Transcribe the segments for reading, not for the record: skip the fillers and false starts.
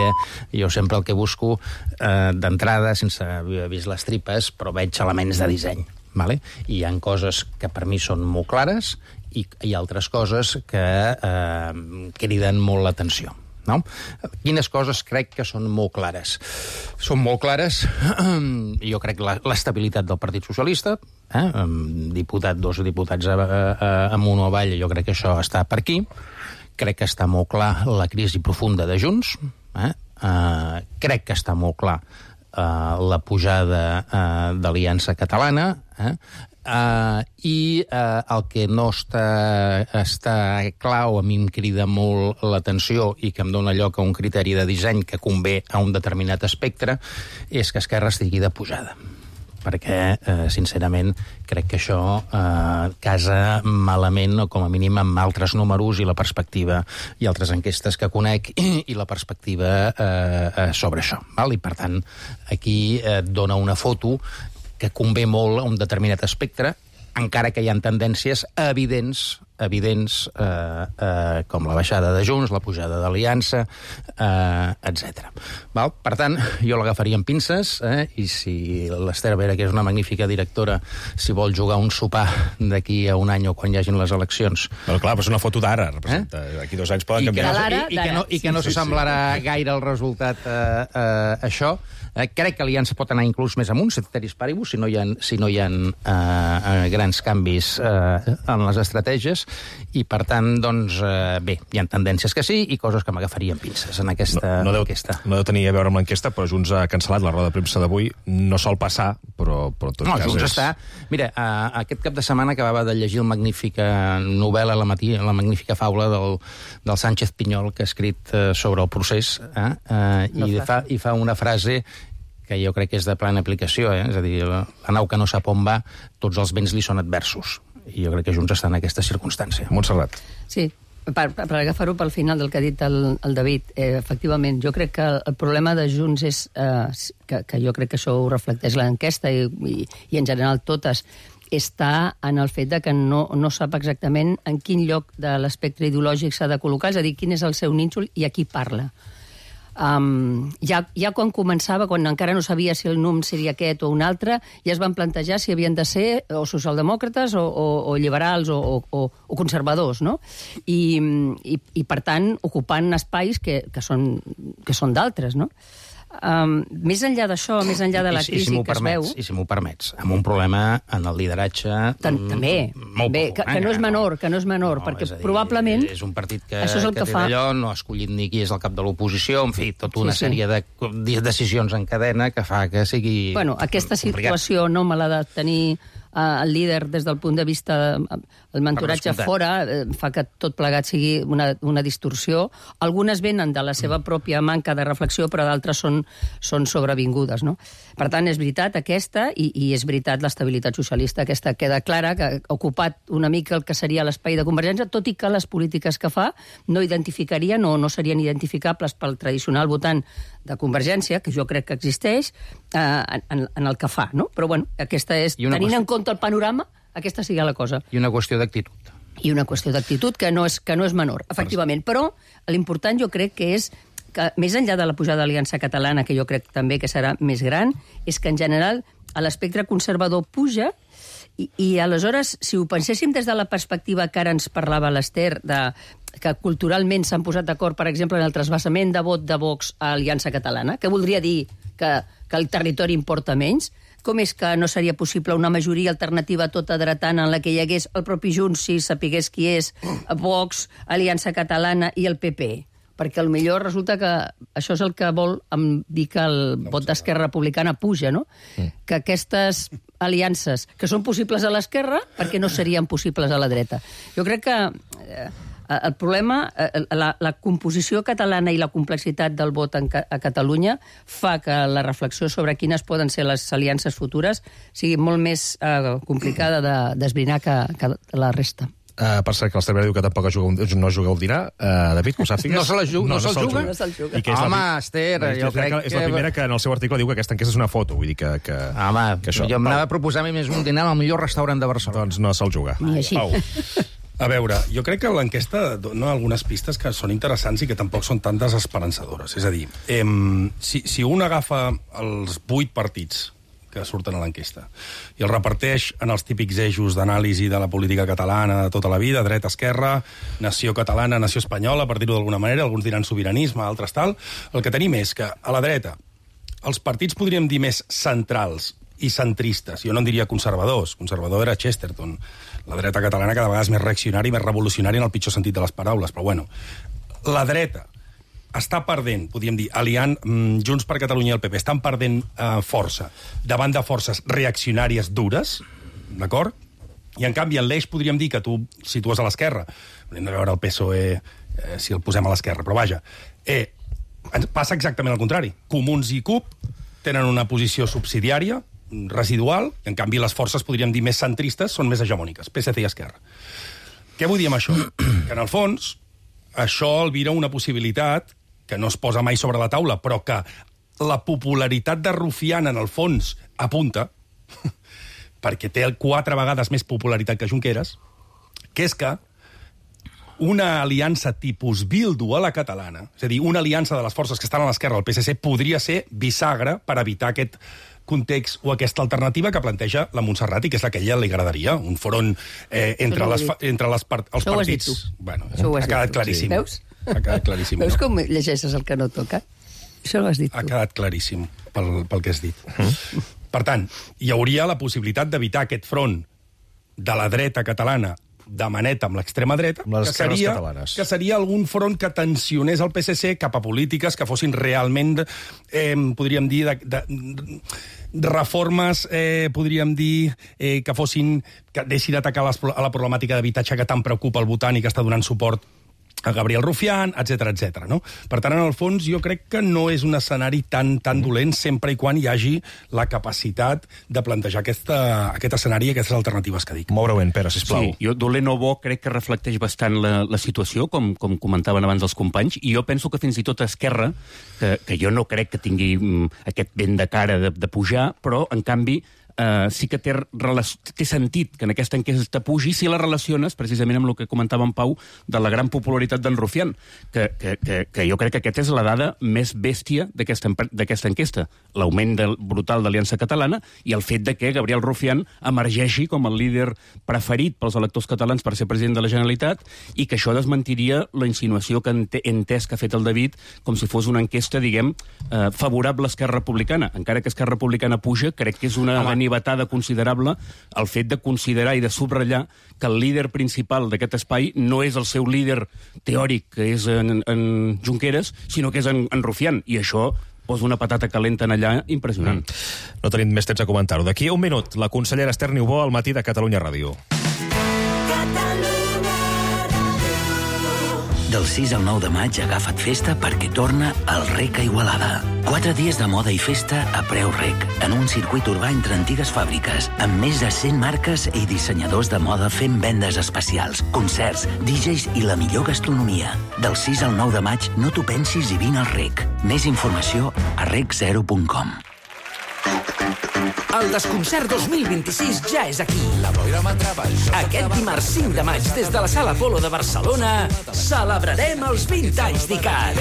perquè jo sempre el que busco d'entrada, sense haver vist les tripes, però veig elements de disseny. Vale? I hi ha coses que per mi són molt clares i hi ha altres coses que criden molt l'atenció. No? Quines coses crec que són molt clares? Són molt clares, jo crec, l'estabilitat del Partit Socialista, dos diputats amunt o avall, jo crec que això està per aquí. Crec que està molt clar la crisi profunda de Junts. Crec que està molt clar la pujada d'Aliança Catalana, i el que no està clar o a mi em crida molt l'atenció i que em dona lloc a un criteri de disseny que convé a un determinat espectre és que Esquerra estigui de pujada, perquè, sincerament, crec que això casa malament, o com a mínim amb altres números i la perspectiva i altres enquestes que conec i la perspectiva sobre això. I, per tant, aquí dona una foto que convé molt a un determinat espectre, encara que hi ha tendències evidents, com la baixada de Junts, la pujada d'Aliança, etc. Per tant, jo l'agafaria amb pinces, i si l'Ester Vera, que és una magnífica directora, si vol jugar un sopar d'aquí a un any o quan hi hagin les eleccions... Però clar, és una foto d'ara, representa. D'aquí 2 anys poden canviar. I que no s'assemblarà gaire el resultat a això. Crec que l'Aliança pot anar inclús més amunt, ceteris paribus, si no hi ha grans canvis en les estratègies, i per tant, doncs, bé, hi ha tendències que sí i coses que m'agafarien pinces en aquesta enquesta. No deu tenir a veure amb l'enquesta, però Junts ha cancel·lat la roda de premsa d'avui. No sol passar, però en tot cas... Junts està... Mira, aquest cap de setmana acabava de llegir la magnífica novel·la al matí, la magnífica faula del Sánchez Pinyol, que ha escrit sobre el procés, i fa una frase que jo crec que és de plena aplicació, és a dir, la nau que no sap on va, tots els vents li són adversos. I jo crec que Junts està en aquesta circumstància. Montserrat. Sí, per agafar-ho pel final del que ha dit el David, efectivament, jo crec que el problema de Junts és, que jo crec que això ho reflecteix l'enquesta i en general totes, està en el fet de que no sap exactament en quin lloc de l'espectre ideològic s'ha de col·locar, és a dir, quin és el seu nínxol i a qui parla. Ja quan començava, quan encara no sabia si el NUM seria aquest o un altre, ja es van plantejar si havien de ser o socialdemòcrates o liberals o conservadors, no? I per tant, ocupant espais que són d'altres, no? Més enllà d'això, més enllà de la crisi que es veu... I si m'ho permets, amb un problema en el lideratge... També, que no és menor, perquè probablement... És un partit que té d'allò, no ha escollit ni qui és el cap de l'oposició, en fi, tota una sèrie de decisions en cadena que fa que sigui... Bueno, aquesta situació no me l'ha de tenir el líder des del punt de vista el mentoratge fora, fa que tot plegat sigui una distorsió. Algunes venen de la seva pròpia manca de reflexió, però d'altres són sobrevingudes, no? Per tant, és veritat aquesta, i és veritat l'estabilitat socialista, aquesta queda clara, que ha ocupat una mica el que seria l'espai de Convergència, tot i que les polítiques que fa no identificarien o no serien identificables pel tradicional votant de Convergència, que jo crec que existeix, en el que fa, no? Però, bueno, aquesta és, tenint en compte el panorama, aquesta seria la cosa. I una qüestió d'actitud. I una qüestió d'actitud que no és menor, efectivament. Però l'important jo crec que és que, més enllà de la pujada de l'Aliança Catalana, que jo crec també que serà més gran, és que en general l'espectre conservador puja i aleshores, si ho penséssim des de la perspectiva que ara ens parlava l'Ester, que culturalment s'han posat d'acord, per exemple, en el trasbassament de vot de Vox a Aliança Catalana, que voldria dir que el territori importa menys, com és que no seria possible una majoria alternativa tota dretana en la que hi hagués el propi Junts, si sapigués qui és, Vox, Aliança Catalana i el PP? Perquè potser resulta que això és el que vol dir que el vot d'Esquerra Republicana puja, no? Que aquestes aliances, que són possibles a l'esquerra, perquè no serien possibles a la dreta. Jo crec que el problema, la composició catalana i la complexitat del vot a Catalunya fa que la reflexió sobre quines poden ser les aliances futures sigui molt més complicada d'esbrinar que la resta. Per cert, que l'Ester Vera diu que tampoc no jugueu al dinar. David, que ho sàpigues? No se'l juga? Home, Ester, jo crec que... És la primera que en el seu article diu que aquesta enquesta és una foto. Vull dir que home, jo m'anava a proposar més un dinar al millor restaurant de Barcelona. Doncs no se'l juga. Ni així. A veure, jo crec que l'enquesta dona algunes pistes que són interessants i que tampoc són tan desesperançadores. És a dir, si un agafa els 8 partits que surten a l'enquesta i els reparteix en els típics eixos d'anàlisi de la política catalana de tota la vida, dreta, esquerra, nació catalana, nació espanyola, per dir-ho d'alguna manera, alguns diran sobiranisme, altres tal, el que tenim és que a la dreta els partits podríem dir més centrals i centristes, jo no en diria conservadors, conservador era Chesterton, la dreta catalana cada vegada és més reaccionària i més revolucionària en el pitjor sentit de les paraules, però bueno, la dreta està perdent, podríem dir, aliant Junts per Catalunya i el PP, estan perdent força davant de forces reaccionàries dures, d'acord? I, en canvi, en l'eix podríem dir que tu situes a l'esquerra. Hem de veure el PSOE si el posem a l'esquerra, però vaja. Passa exactament al contrari. Comuns i CUP tenen una posició subsidiària, residual, i, en canvi, les forces, podríem dir, més centristes són més hegemòniques, PSC i Esquerra. Què vull dir amb això? Que, en el fons, això albira una possibilitat que no es posa mai sobre la taula, però que la popularitat de Rufián, en el fons, apunta, perquè té 4 vegades més popularitat que Junqueras, que és que una aliança tipus Bildu a la catalana, és a dir, una aliança de les forces que estan a l'esquerra del PSC, podria ser bisagra per evitar aquest context o aquesta alternativa que planteja la Montserrat i que és la que a ella li agradaria, un front entre els partits. Bueno, ha quedat claríssim. Veus? Ha quedat claríssim. Veus com llegeixes el que no toca? Això ho has dit tu. Ha quedat claríssim pel que has dit. Per tant, hi hauria la possibilitat d'evitar aquest front de la dreta catalana de maneta amb l'extrema dreta, que seria algun front que tensionés el PSC cap a polítiques que fossin realment, podríem dir, de reformes, podríem dir, que deixin d'atacar a la problemàtica d'habitatge que tant preocupa el votant i que està donant suport a Gabriel Rufián, etc. No? Per tant, en el fons, jo crec que no és un escenari tan dolent sempre i quan hi hagi la capacitat de plantejar aquest escenari i aquestes alternatives que dic. Molt breument, Pere, sisplau. Sí, jo dolent o bo crec que reflecteix bastant la situació, com comentaven abans els companys, i jo penso que fins i tot Esquerra, que jo no crec que tingui aquest vent de cara de pujar, però, en canvi, sí que té sentit que en aquesta enquesta pugi si la relaciones precisament amb el que comentava en Pau de la gran popularitat d'en Rufián, que jo crec que aquesta és la dada més bèstia d'aquesta enquesta, l'augment brutal d'Aliança Catalana i el fet de que Gabriel Rufián emergeixi com el líder preferit pels electors catalans per ser president de la Generalitat i que això desmentiria la insinuació que he entès que ha fet el David com si fos una enquesta, diguem, favorable a Esquerra Republicana. Encara que Esquerra Republicana puja, crec que és una ganivetada considerable el fet de considerar i de subratllar que el líder principal d'aquest espai no és el seu líder teòric, que és en Junqueras, sinó que és en Rufián, i això posa una patata calenta en allà impressionant. No tenim més temps a comentar-ho. D'aquí a un minut, la consellera Esther Niubó al Matí de Catalunya Ràdio. Del 6 al 9 de maig agafa't festa perquè torna el REC a Igualada. 4 dies de moda i festa a preu REC, en un circuit urbà entre antigues fàbriques, amb més de 100 marques i dissenyadors de moda fent vendes especials, concerts, DJs i la millor gastronomia. Del 6 al 9 de maig no t'ho pensis i vine al REC. Més informació a rec0.com. El Desconcert 2026 ja és aquí. Aquest dimarts 5 de maig, des de la Sala Apolo de Barcelona, celebrarem els 20 anys d'ICAT.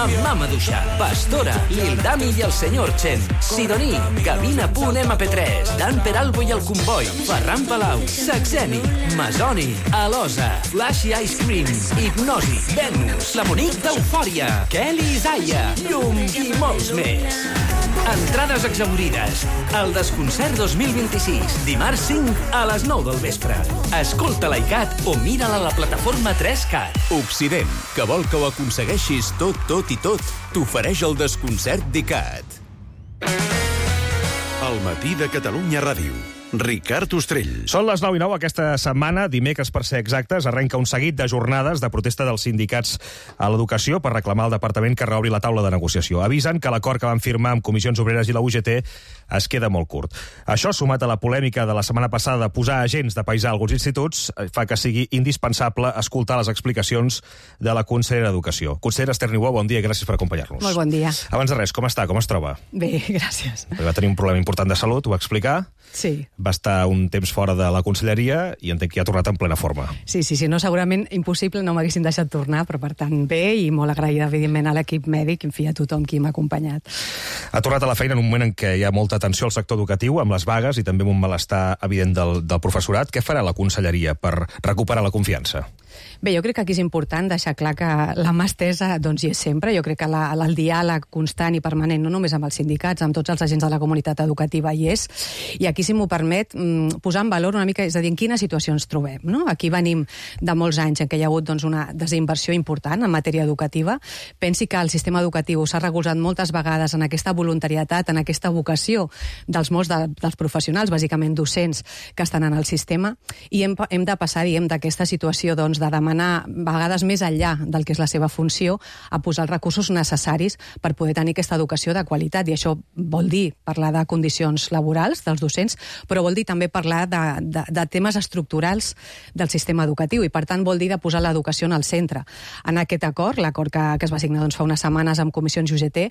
Amb Mama Duixa, Pastora, Lil Dami i el Senyor Chen, Sidoní, Gavina.mp3, Dan Peralbo i el Comboi, Ferran Palau, Saxeni, Masoni, Alosa, Flashy Ice Cream, Hipnosi, Venus, la Monique d'Eufòria, Kelly Isaiah, Llum i molts més. Entrades exaurides. El Desconcert 2026. Dimarts 5 a les 9 del vespre. Escolta l'ICAT o mira-la a la plataforma 3CAT. Occident, que vol que ho aconsegueixis tot i tot, t'ofereix el Desconcert d'ICAT. El Matí de Catalunya Ràdio. Ricard Ostrell. Són les 9:09 aquesta setmana, dimecres per ser exactes, arrenca un seguit de jornades de protesta dels sindicats a l'educació per reclamar al departament que reobri la taula de negociació. Avisen que l'acord que van firmar amb Comissions Obreres i la UGT es queda molt curt. Això, sumat a la polèmica de la setmana passada de posar agents de paisà a alguns instituts, fa que sigui indispensable escoltar les explicacions de la consellera d'Educació. Consellera Esther Niubó, bon dia i gràcies per acompanyar-nos. Molt bon dia. Abans de res, com està? Com es troba? Bé, gràcies. Va tenir un problema important de salut, ho va explicar. Sí. Va estar un temps fora de la conselleria i entenc que ja ha tornat en plena forma. Sí, no, segurament impossible, no m'haguessin deixat tornar, però per tant bé, i molt agraïda, evidentment, a l'equip mèdic, en fi, a tothom qui m'ha acompanyat. Ha tornat a la feina en un moment en què hi ha molta tensió al sector educatiu, amb les vagues i també amb un malestar evident del professorat. Què farà la conselleria per recuperar la confiança? Bé, jo crec que aquí és important deixar clar que la mà estesa doncs, hi és sempre. Jo crec que el diàleg constant i permanent, no només amb els sindicats, amb tots els agents de la comunitat educativa hi és. I aquí, si m'ho permet, posar en valor una mica, és a dir, en quina situació ens trobem. No? Aquí venim de molts anys en què hi ha hagut doncs, una desinversió important en matèria educativa. Pensi que el sistema educatiu s'ha recolzat moltes vegades en aquesta voluntaritat, en aquesta vocació dels molts dels professionals, bàsicament docents, que estan en el sistema, i hem de passar, diguem, d'aquesta situació doncs, de demanar, a vegades més enllà del que és la seva funció, a posar els recursos necessaris per poder tenir aquesta educació de qualitat. I això vol dir parlar de condicions laborals dels docents, però vol dir també parlar de temes estructurals del sistema educatiu i, per tant, vol dir de posar l'educació en el centre. En aquest acord, l'acord que es va signar doncs, fa unes setmanes amb Comissions UGT,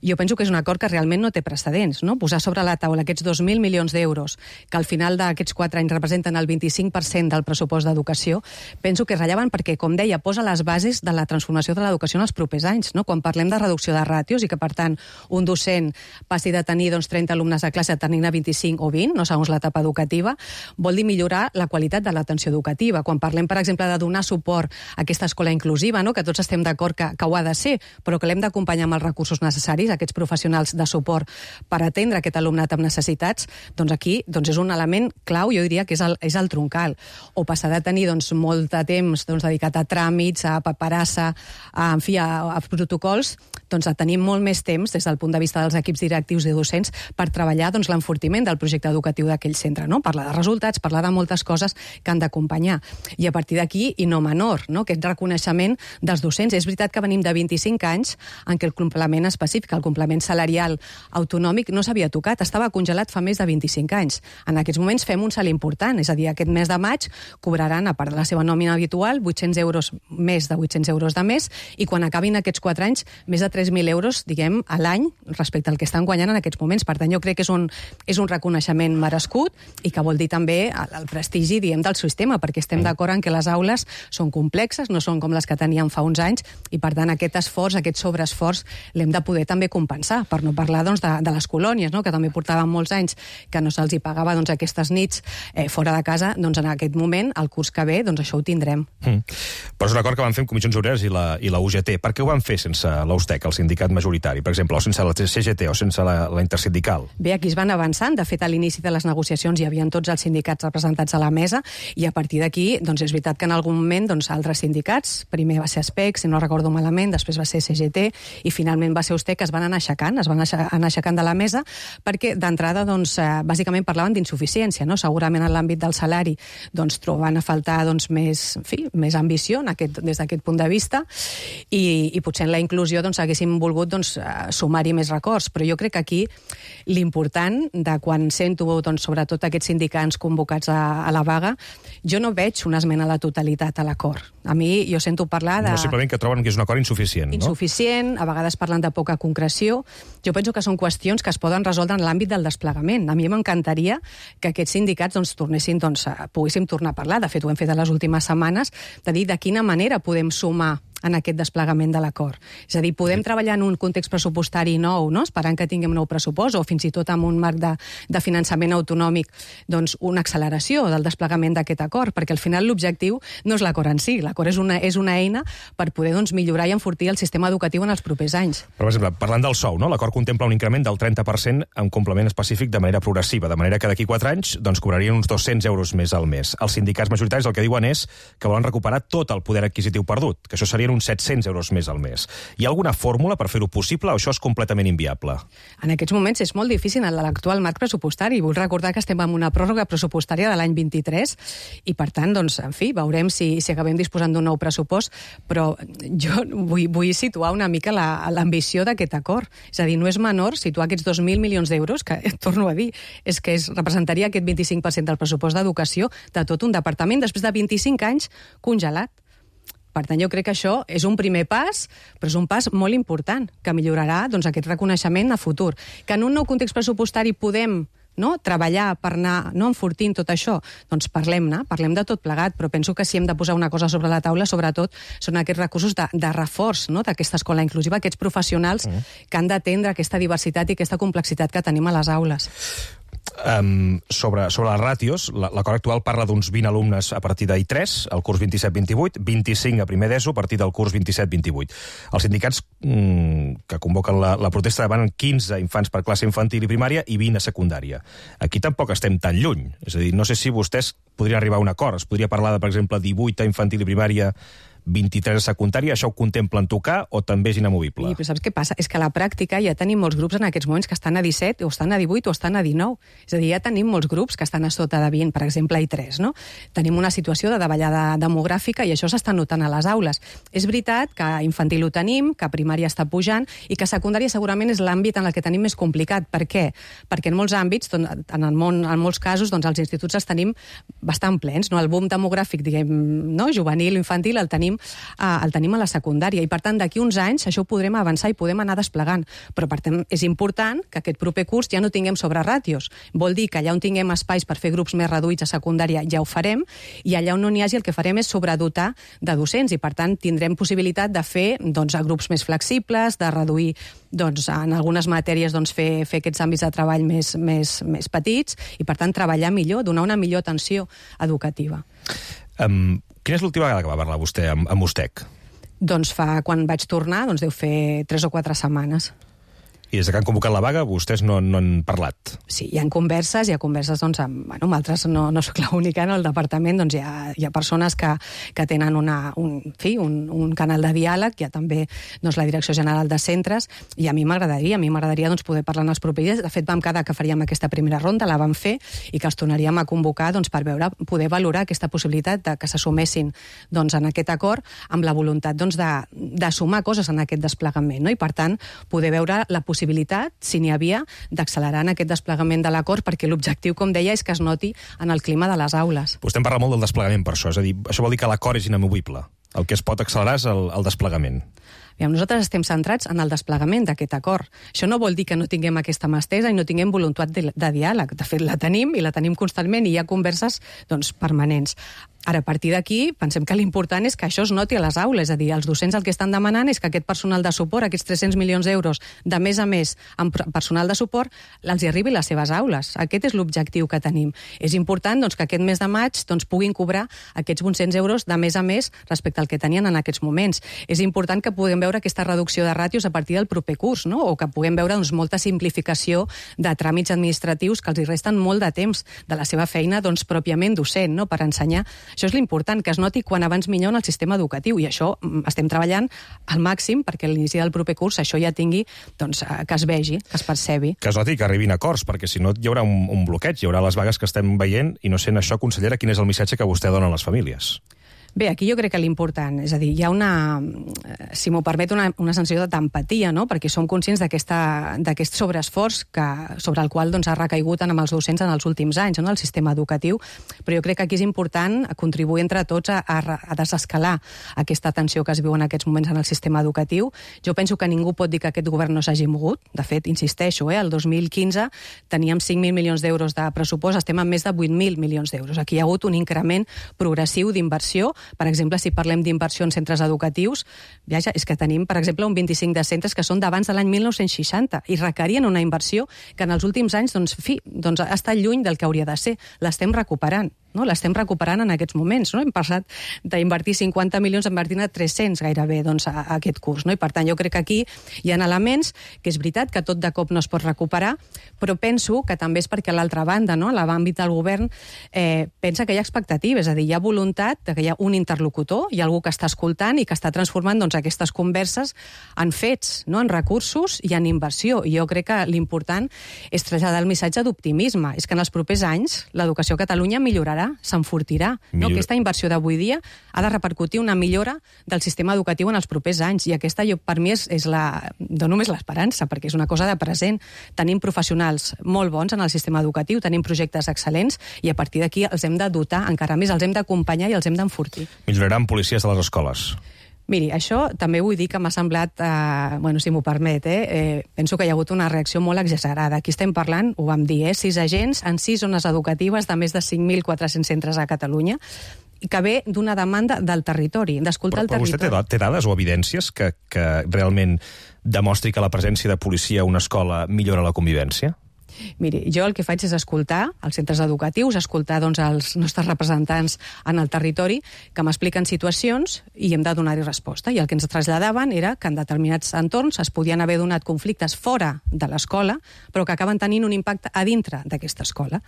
jo penso que és un acord que realment no té precedents. No? Posar sobre la taula aquests 2.000 milions d'euros, que al final d'aquests 4 anys representen el 25% del pressupost d'educació, penso que és rellevant perquè, com deia, posa les bases de la transformació de l'educació en els propers anys. No? Quan parlem de reducció de ràtios i que, per tant, un docent passi de tenir 30 alumnes a classe a tenir-ne 25 o 20, no segons l'etapa educativa, vol dir millorar la qualitat de l'atenció educativa. Quan parlem, per exemple, de donar suport a aquesta escola inclusiva, no? Que tots estem d'acord que ho ha de ser, però que l'hem d'acompanyar amb els recursos necessaris, aquests professionals de suport per atendre aquest alumnat amb necessitats, doncs aquí és un element clau, jo diria que és el troncal. O passar de tenir molt de temps dedicat a tràmits, a paperassa, a protocols, a tenir molt més temps des del punt de vista dels equips directius i docents per treballar l'enfortiment del projecte educatiu d'aquell centre, no? Parlar de resultats, parlar de moltes coses que han d'acompanyar. I a partir d'aquí, i no menor, no? Aquest reconeixement dels docents. És veritat que venim de 25 anys en què el complement específic, el complement salarial autonòmic, no s'havia tocat, estava congelat fa més de 25 anys. En aquests moments fem un salt important, és a dir, aquest mes de maig cobraran, a part de la seva nòmina habitual, 800 euros, més de 800 euros de mes, i quan acabin aquests 4 anys, més de 3.000 euros, diguem, a l'any respecte al que estan guanyant en aquests moments. Per tant, jo crec que és un reconeixement merescut i que vol dir també el prestigi, diguem, del sistema, perquè estem d'acord en que les aules són complexes, no són com les que teníem fa uns anys, i per tant aquest esforç, aquest sobreesforç, l'hem de poder també compensar, per no parlar de les colònies, no? Que també portaven molts anys que no se'ls hi pagava aquestes nits fora de casa, en aquest moment, el curs que ve, això ho tindrem. Però és un acord que van fer amb Comissions Obreres i la UGT. Per què ho van fer sense l'USTEC, el sindicat majoritari, per exemple, o sense la CGT o sense la intersindical? Bé, aquí es van avançant. De fet, a l'inici de les negociacions hi havia tots els sindicats representats a la mesa i a partir d'aquí, és veritat que en algun moment altres sindicats, primer va ser ASPEC, si no recordo malament, després va ser CGT i finalment va ser USTEC, que es van anar aixecant de la mesa perquè d'entrada, bàsicament parlaven d'insuficiència, no? Segurament en l'àmbit del salari trobaven a faltar més ambició des d'aquest punt de vista i potser en la inclusió haguéssim volgut sumar-hi més records, però jo crec que aquí l'important de quan sento sobretot aquests sindicats convocats a la vaga, jo no veig una esmena a la totalitat a l'acord. A mi jo sento parlar de... No, simplement que troben que és un acord insuficient, no? Insuficient, a vegades parlen de poca concreció. Jo penso que són qüestions que es poden resoldre en l'àmbit del desplegament. A mi m'encantaria que aquests sindicats poguéssim tornar a parlar. De fet, ho hem fet a les últimes setmanes, de dir de quina manera podem sumar en aquest desplegament de l'acord. És a dir, podem treballar en un context pressupostari nou, no? Esperant que tinguem nou pressupost, o fins i tot amb un marc de finançament autonòmic, una acceleració del desplegament d'aquest acord, perquè al final l'objectiu no és l'acord en si, l'acord és una eina per poder millorar i enfortir el sistema educatiu en els propers anys. Per exemple, parlant del sou, no? L'acord contempla un increment del 30% amb complement específic de manera progressiva, de manera que d'aquí 4 anys cobrarien uns 200 euros més al mes. Els sindicats majoritaris el que diuen és que volen recuperar tot el poder adquisitiu perdut, que això serien uns 700 euros més al mes. Hi ha alguna fórmula per fer-ho possible o això és completament inviable? En aquests moments és molt difícil en l'actual marc pressupostari. Vull recordar que estem en una pròrroga pressupostària de l'any 23 i, per tant, veurem si acabem disposant d'un nou pressupost, però jo vull situar una mica l'ambició d'aquest acord. És a dir, no és menor situar aquests 2.000 milions d'euros, que, torno a dir, és que representaria aquest 25% del pressupost d'educació de tot un departament després de 25 anys congelat. Per tant, jo crec que això és un primer pas, però és un pas molt important, que millorarà aquest reconeixement a futur. Que en un nou context pressupostari podem no? Treballar per anar enfortint tot això, doncs parlem-ne, parlem de tot plegat, però penso que si hem de posar una cosa sobre la taula, sobretot són aquests recursos de reforç, no? D'aquesta escola inclusiva, aquests professionals que han d'atendre aquesta diversitat i aquesta complexitat que tenim a les aules. Sobre les ràtios, l'acord actual parla d'uns 20 alumnes a partir d'I3, al curs 27-28, 25 a primer d'ESO a partir del curs 27-28. Els sindicats que convoquen la protesta demanen 15 infants per classe infantil i primària i 20 a secundària. Aquí tampoc estem tan lluny. És a dir, no sé si vostès podrien arribar a un acord. Es podria parlar de, per exemple, 18 a infantil i primària, 23 a secundària, això ho contemplen tocar o també és inamovible? Sí, però saps què passa? És que a la pràctica ja tenim molts grups en aquests moments que estan a 17, o estan a 18, o estan a 19. És a dir, ja tenim molts grups que estan a sota de 20, per exemple, a I3, no? Tenim una situació de davallada demogràfica i això s'està notant a les aules. És veritat que infantil ho tenim, que primària està pujant i que secundària segurament és l'àmbit en el que tenim més complicat. Per què? Perquè en molts àmbits, en molts casos, doncs, els instituts els tenim bastant plens, no? El boom demogràfic, diguem, no? Juvenil, infantil, el tenim a la secundària i per tant d'aquí uns anys això ho podrem avançar i podem anar desplegant, però per tant és important que aquest proper curs ja no tinguem sobreràtios, vol dir que allà on tinguem espais per fer grups més reduïts a secundària ja ho farem i allà on no n'hi hagi el que farem és sobredotar de docents i per tant tindrem possibilitat de fer doncs, grups més flexibles, de reduir doncs, en algunes matèries doncs, fer aquests àmbits de treball més petits i per tant treballar millor, donar una millor atenció educativa. Quina és l'última vegada que va parlar vostè amb USTEC? Doncs quan vaig tornar, doncs deu fer 3 o 4 setmanes. I des que han convocat la vaga, vostès no han parlat? Sí, hi ha converses doncs, amb altres, no soc l'única, no? Al departament doncs, hi ha persones que tenen un canal de diàleg, hi ha també doncs, la Direcció General de Centres, i a mi m'agradaria doncs, poder parlar en els propers dies. De fet, vam quedar que faríem aquesta primera ronda, la vam fer, i que els tornaríem a convocar doncs, per poder valorar aquesta possibilitat de que s'assumessin doncs, en aquest acord amb la voluntat doncs, de sumar coses en aquest desplegament, no? I per tant, poder veure la possibilitat, si n'hi havia, d'accelerar en aquest desplegament de l'acord, perquè l'objectiu, com deia, és que es noti en el clima de les aules. Vostè en parla molt del desplegament per això, és a dir, això vol dir que l'acord és inamovible. El que es pot accelerar és el desplegament. Nosaltres estem centrats en el desplegament d'aquest acord. Això no vol dir que no tinguem aquesta mà estesa i no tinguem voluntat de diàleg. De fet, la tenim i la tenim constantment i hi ha converses doncs, permanents. Ara, a partir d'aquí, pensem que l'important és que això es noti a les aules, és a dir, els docents el que estan demanant és que aquest personal de suport, aquests 300 milions d'euros de més a més amb personal de suport, els hi arribi a les seves aules. Aquest és l'objectiu que tenim. És important doncs, que aquest mes de maig doncs, puguin cobrar aquests 800 euros de més a més respecte al que tenien en aquests moments. És important que puguem veure aquesta reducció de ràtios a partir del proper curs, no? O que puguem veure doncs, molta simplificació de tràmits administratius que els hi resten molt de temps de la seva feina doncs, pròpiament docent, no? Per ensenyar. Això és l'important, que es noti quan abans millor en el sistema educatiu, i això estem treballant al màxim perquè a l'inici del proper curs això ja tingui, doncs, que es vegi, que es percebi. Que es noti que arribin acords, perquè si no hi haurà un bloqueig, hi haurà les vagues que estem veient, i no sent això, consellera, quin és el missatge que vostè dona a les famílies? Bé, aquí jo crec que l'important, és a dir, hi ha si m'ho permet, una sensació d'empatia, no? Perquè som conscients d'aquest sobreesforç sobre el qual doncs, ha recaigut amb els docents en els últims anys, no? El sistema educatiu, però jo crec que aquí és important contribuir entre tots a desescalar aquesta tensió que es viu en aquests moments en el sistema educatiu. Jo penso que ningú pot dir que aquest govern no s'hagi mogut. De fet, insisteixo, el 2015 teníem 5.000 milions d'euros de pressupost, estem amb més de 8.000 milions d'euros. Aquí hi ha hagut un increment progressiu d'inversió. Per exemple, si parlem d'inversió en centres educatius, és que tenim, per exemple, un 25 de centres que són d'abans de l'any 1960 i requerien una inversió que en els últims anys ha estat lluny del que hauria de ser. L'estem recuperant. No? L'estem recuperant en aquests moments. No? Hem passat d'invertir 50 milions a invertir 300 gairebé doncs, a aquest curs. No? I per tant, jo crec que aquí hi ha elements que és veritat que tot de cop no es pot recuperar, però penso que també és perquè a l'altra banda, no? A l'àmbit del govern, pensa que hi ha expectatives, és a dir, hi ha voluntat que hi ha un interlocutor, hi ha algú que està escoltant i que està transformant doncs, aquestes converses en fets, no? En recursos i en inversió. I jo crec que l'important és traslladar el missatge d'optimisme. És que en els propers anys l'educació a Catalunya millorarà, s'enfortirà. No? Aquesta inversió d'avui dia ha de repercutir una millora del sistema educatiu en els propers anys, i aquesta per mi dono més l'esperança, perquè és una cosa de present. Tenim professionals molt bons en el sistema educatiu, tenim projectes excel·lents, i a partir d'aquí els hem de dotar encara més, els hem d'acompanyar i els hem d'enfortir. Milloraran policies de les escoles. Miri, això també vull dir que m'ha semblat, si m'ho permet, penso que hi ha hagut una reacció molt exagerada. Aquí estem parlant, ho vam dir, 6 agents en 6 zones educatives de més de 5.400 centres a Catalunya, que ve d'una demanda del territori, d'escoltar el territori. Però vostè té dades o evidències que realment demostri que la presència de policia a una escola millora la convivència? Miri, jo el que faig és escoltar els centres educatius, escoltar els nostres representants en el territori que m'expliquen situacions i hem de donar-hi resposta. I el que ens traslladaven era que en determinats entorns es podien haver donat conflictes fora de l'escola, però que acaben tenint un impacte a dintre d'aquesta escola.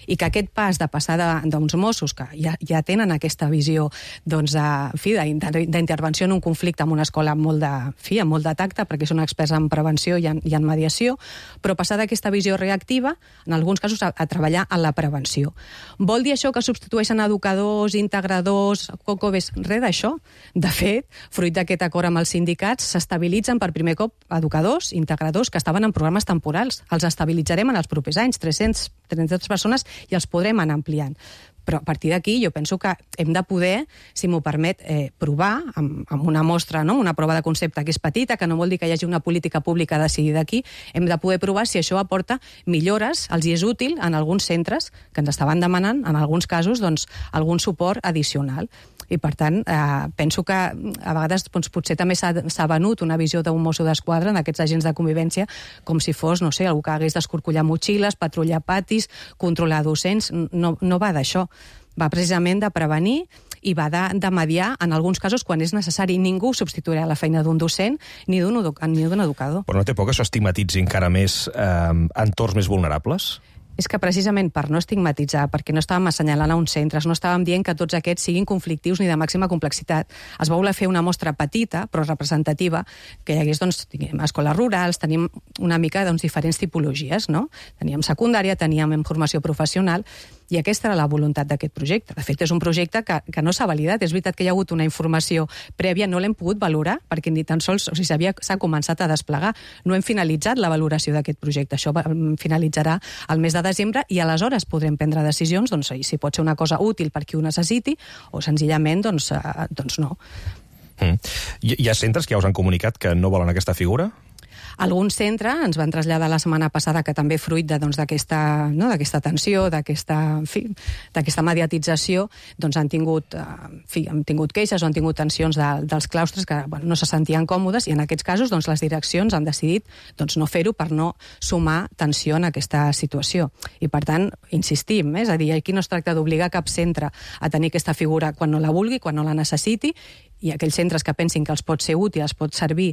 I que aquest pas de passar d'uns Mossos que ja tenen aquesta visió d'intervenció en un conflicte en una escola amb molt de tacte, perquè són experts en prevenció i en mediació, però passar d'aquesta visió reactiva, en alguns casos, a treballar en la prevenció. Vol dir això que substitueixen educadors, integradors, cocobes? Res d'això. De fet, fruit d'aquest acord amb els sindicats, s'estabilitzen per primer cop educadors, integradors, que estaven en programes temporals. Els estabilitzarem en els propers anys, 300 persones, i els podrem anar ampliant. Però a partir d'aquí jo penso que hem de poder, si m'ho permet, provar amb una mostra, no? Una prova de concepte que és petita, que no vol dir que hi hagi una política pública decidida aquí, hem de poder provar si això aporta millores, els hi és útil en alguns centres que ens estaven demanant, en alguns casos, algun suport addicional. I, per tant, penso que a vegades potser també s'ha venut una visió d'un mosso d'esquadra en aquests agents de convivència com si fos, no sé, algú que hagués d'escorcollar motxilles, patrullar patis, controlar docents. No va d'això. Va precisament de prevenir i va de mediar en alguns casos quan és necessari. Ningú substituirà la feina d'un docent ni d'un educador. Però no té por que això estigmatitzi encara més entorns més vulnerables? És que precisament per no estigmatitzar, perquè no estàvem assenyalant a uns centres, no estàvem dient que tots aquests siguin conflictius ni de màxima complexitat. Es va voler fer una mostra petita, però representativa, que hi hagués, escoles rurals, tenim una mica diferents tipologies, no? Teníem secundària, teníem formació professional, i aquesta era la voluntat d'aquest projecte. De fet, és un projecte que no s'ha validat. És veritat que hi ha hagut una informació prèvia, no l'hem pogut valorar, perquè ni tan sols s'ha començat a desplegar. No hem finalitzat la valoració d'aquest projecte. Això finalitzarà el mes de desembre i aleshores podrem prendre decisions si pot ser una cosa útil per qui ho necessiti o senzillament no. Hi ha centres que ja us han comunicat que no volen aquesta figura? Algun centre ens van traslladar la setmana passada que també fruit d'aquesta tensió, d'aquesta mediatització, han tingut queixes o han tingut tensions dels claustres que no se sentien còmodes, i en aquests casos les direccions han decidit no fer-ho per no sumar tensió en aquesta situació. I per tant, insistim, és a dir, aquí no es tracta d'obligar cap centre a tenir aquesta figura quan no la vulgui, quan no la necessiti, i aquells centres que pensin que els pot ser útil, els pot servir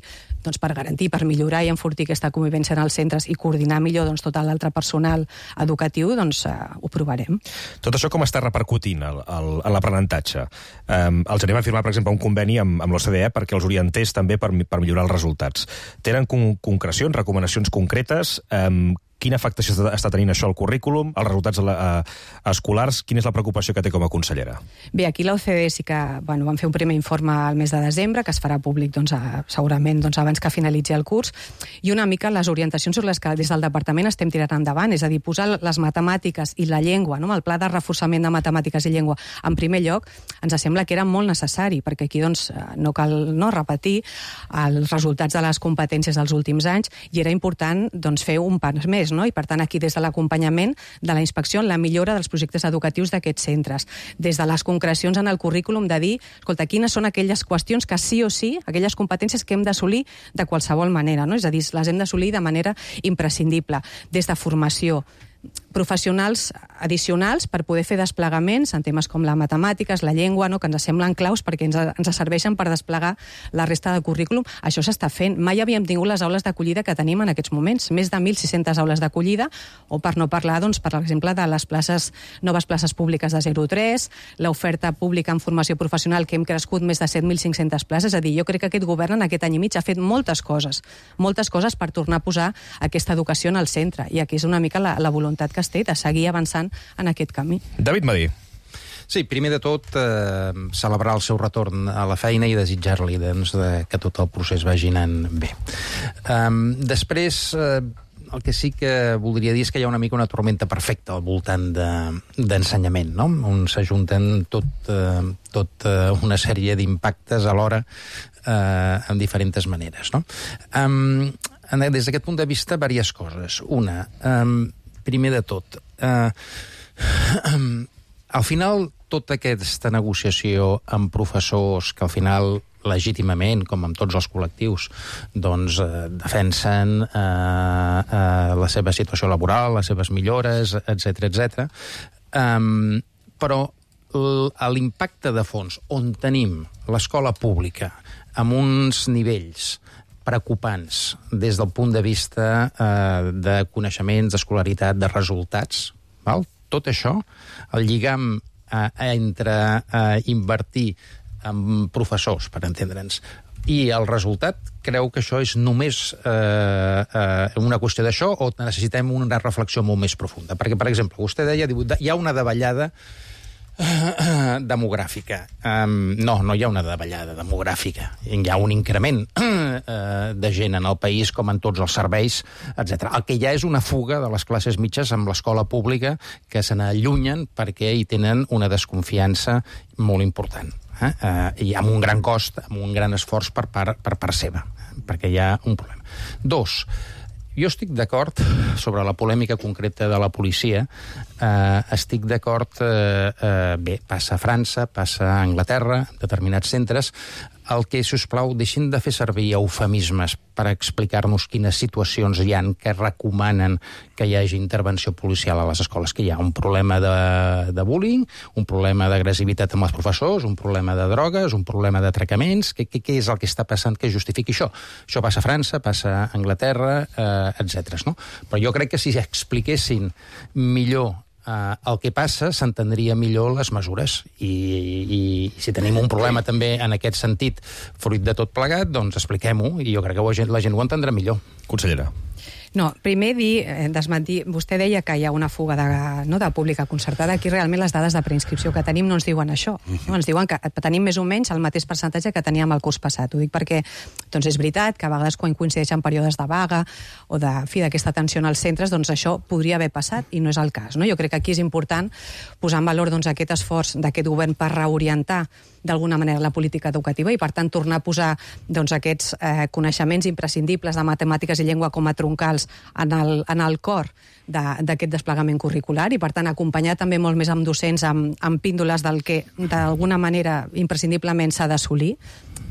per garantir, per millorar i enfortir aquesta convivència en els centres i coordinar millor tot l'altre personal educatiu, ho provarem. Tot això com està repercutint en l'aprenentatge? Els anem a firmar, per exemple, un conveni amb l'OCDE perquè els orientés també per millorar els resultats. Tenen concrecions, recomanacions concretes? Quina afectació està tenint això al currículum, als resultats escolars? Quina és la preocupació que té com a consellera? Bé, aquí l'OCDE sí que van fer un primer informe al mes de desembre, que es farà públic segurament abans que finalitzi el curs, i una mica les orientacions sobre les que des del departament estem tirant endavant, és a dir, posar les matemàtiques i la llengua, el pla de reforçament de matemàtiques i llengua en primer lloc, ens sembla que era molt necessari, perquè aquí no cal repetir els resultats de les competències dels últims anys, i era important fer un pas més, no? I per tant aquí des de l'acompanyament de la inspecció en la millora dels projectes educatius d'aquests centres, des de les concrecions en el currículum de dir, escolta, quines són aquelles qüestions que sí o sí, aquelles competències que hem d'assolir de qualsevol manera, no? És a dir, les hem d'assolir de manera imprescindible, des de formació, professionals addicionals per poder fer desplegaments en temes com les matemàtiques, la llengua, que ens semblen claus perquè ens serveixen per desplegar la resta del currículum. Això s'està fent. Mai havíem tingut les aules d'acollida que tenim en aquests moments, més de 1.600 aules d'acollida, o per no parlar, per exemple, de les noves places públiques de 0-3, l'oferta pública en formació professional, que hem crescut més de 7.500 places. És a dir, jo crec que aquest govern en aquest any i mig ha fet moltes coses per tornar a posar aquesta educació en el centre, i aquí és una mica la voluntat que es té de seguir avançant en aquest camí. David Madí. Sí, primer de tot, celebrar el seu retorn a la feina i desitjar-li que tot el procés vagi anant bé. Després, el que sí que voldria dir és que hi ha una mica una tormenta perfecta al voltant d'ensenyament, no? On s'ajunten tota una sèrie d'impactes alhora en diferents maneres, no? Des d'aquest punt de vista, diverses coses. Una, primer de tot, al final, tota aquesta negociació amb professors que al final legítimament, com amb tots els col·lectius, doncs defensen la seva situació laboral, les seves millores, etc. Però l'impacte de fons, on tenim l'escola pública amb uns nivells preocupants des del punt de vista de coneixements, d'escolaritat, de resultats, val? Tot això, el lligam entre invertir en professors, per entendre'ns, i el resultat, creu que això és només una qüestió d'això o necessitem una reflexió molt més profunda? Perquè, per exemple, vostè deia, hi ha una davallada demogràfica. No hi ha una davallada demogràfica. Hi ha un increment de gent en el país, com en tots els serveis, etc. El que hi ha és una fuga de les classes mitges amb l'escola pública que se n'allunyen perquè hi tenen una desconfiança molt important. I amb un gran cost, amb un gran esforç per part seva, perquè hi ha un problema. 2, jo estic d'acord sobre la polèmica concreta de la policia. Estic d'acord, bé, passa a França, passa a Anglaterra, en determinats centres. El que, si us plau, deixin de fer servir eufemismes per explicar-nos quines situacions hi ha que recomanen que hi hagi intervenció policial a les escoles, que hi ha un problema de bullying, un problema d'agressivitat amb els professors, un problema de drogues, un problema d'atracaments. Què és el que està passant que justifiqui això? Això passa a França, passa a Anglaterra, etc. No? Però jo crec que si expliquessin millor el que passa, s'entendria millor les mesures. I si tenim un problema també en aquest sentit, fruit de tot plegat, doncs expliquem-ho, i jo crec que la gent ho entendrà millor. Consellera. No, primer desmentir, vostè deia que hi ha una fuga de pública concertada. Aquí realment les dades de preinscripció que tenim no ens diuen això. No? Ens diuen que tenim més o menys el mateix percentatge que teníem el curs passat. Ho dic perquè doncs és veritat que a vegades quan coincideixen períodes de vaga o d'aquesta tensió als centres, doncs això podria haver passat i no és el cas. No? Jo crec que aquí és important posar en valor doncs, aquest esforç d'aquest govern per reorientar d'alguna manera la política educativa i, per tant, tornar a posar doncs, aquests coneixements imprescindibles de matemàtiques i llengua com a troncals en el cor d'aquest desplegament curricular i, per tant, acompanyar també molt més amb docents amb píndoles del que d'alguna manera imprescindiblement s'ha d'assolir,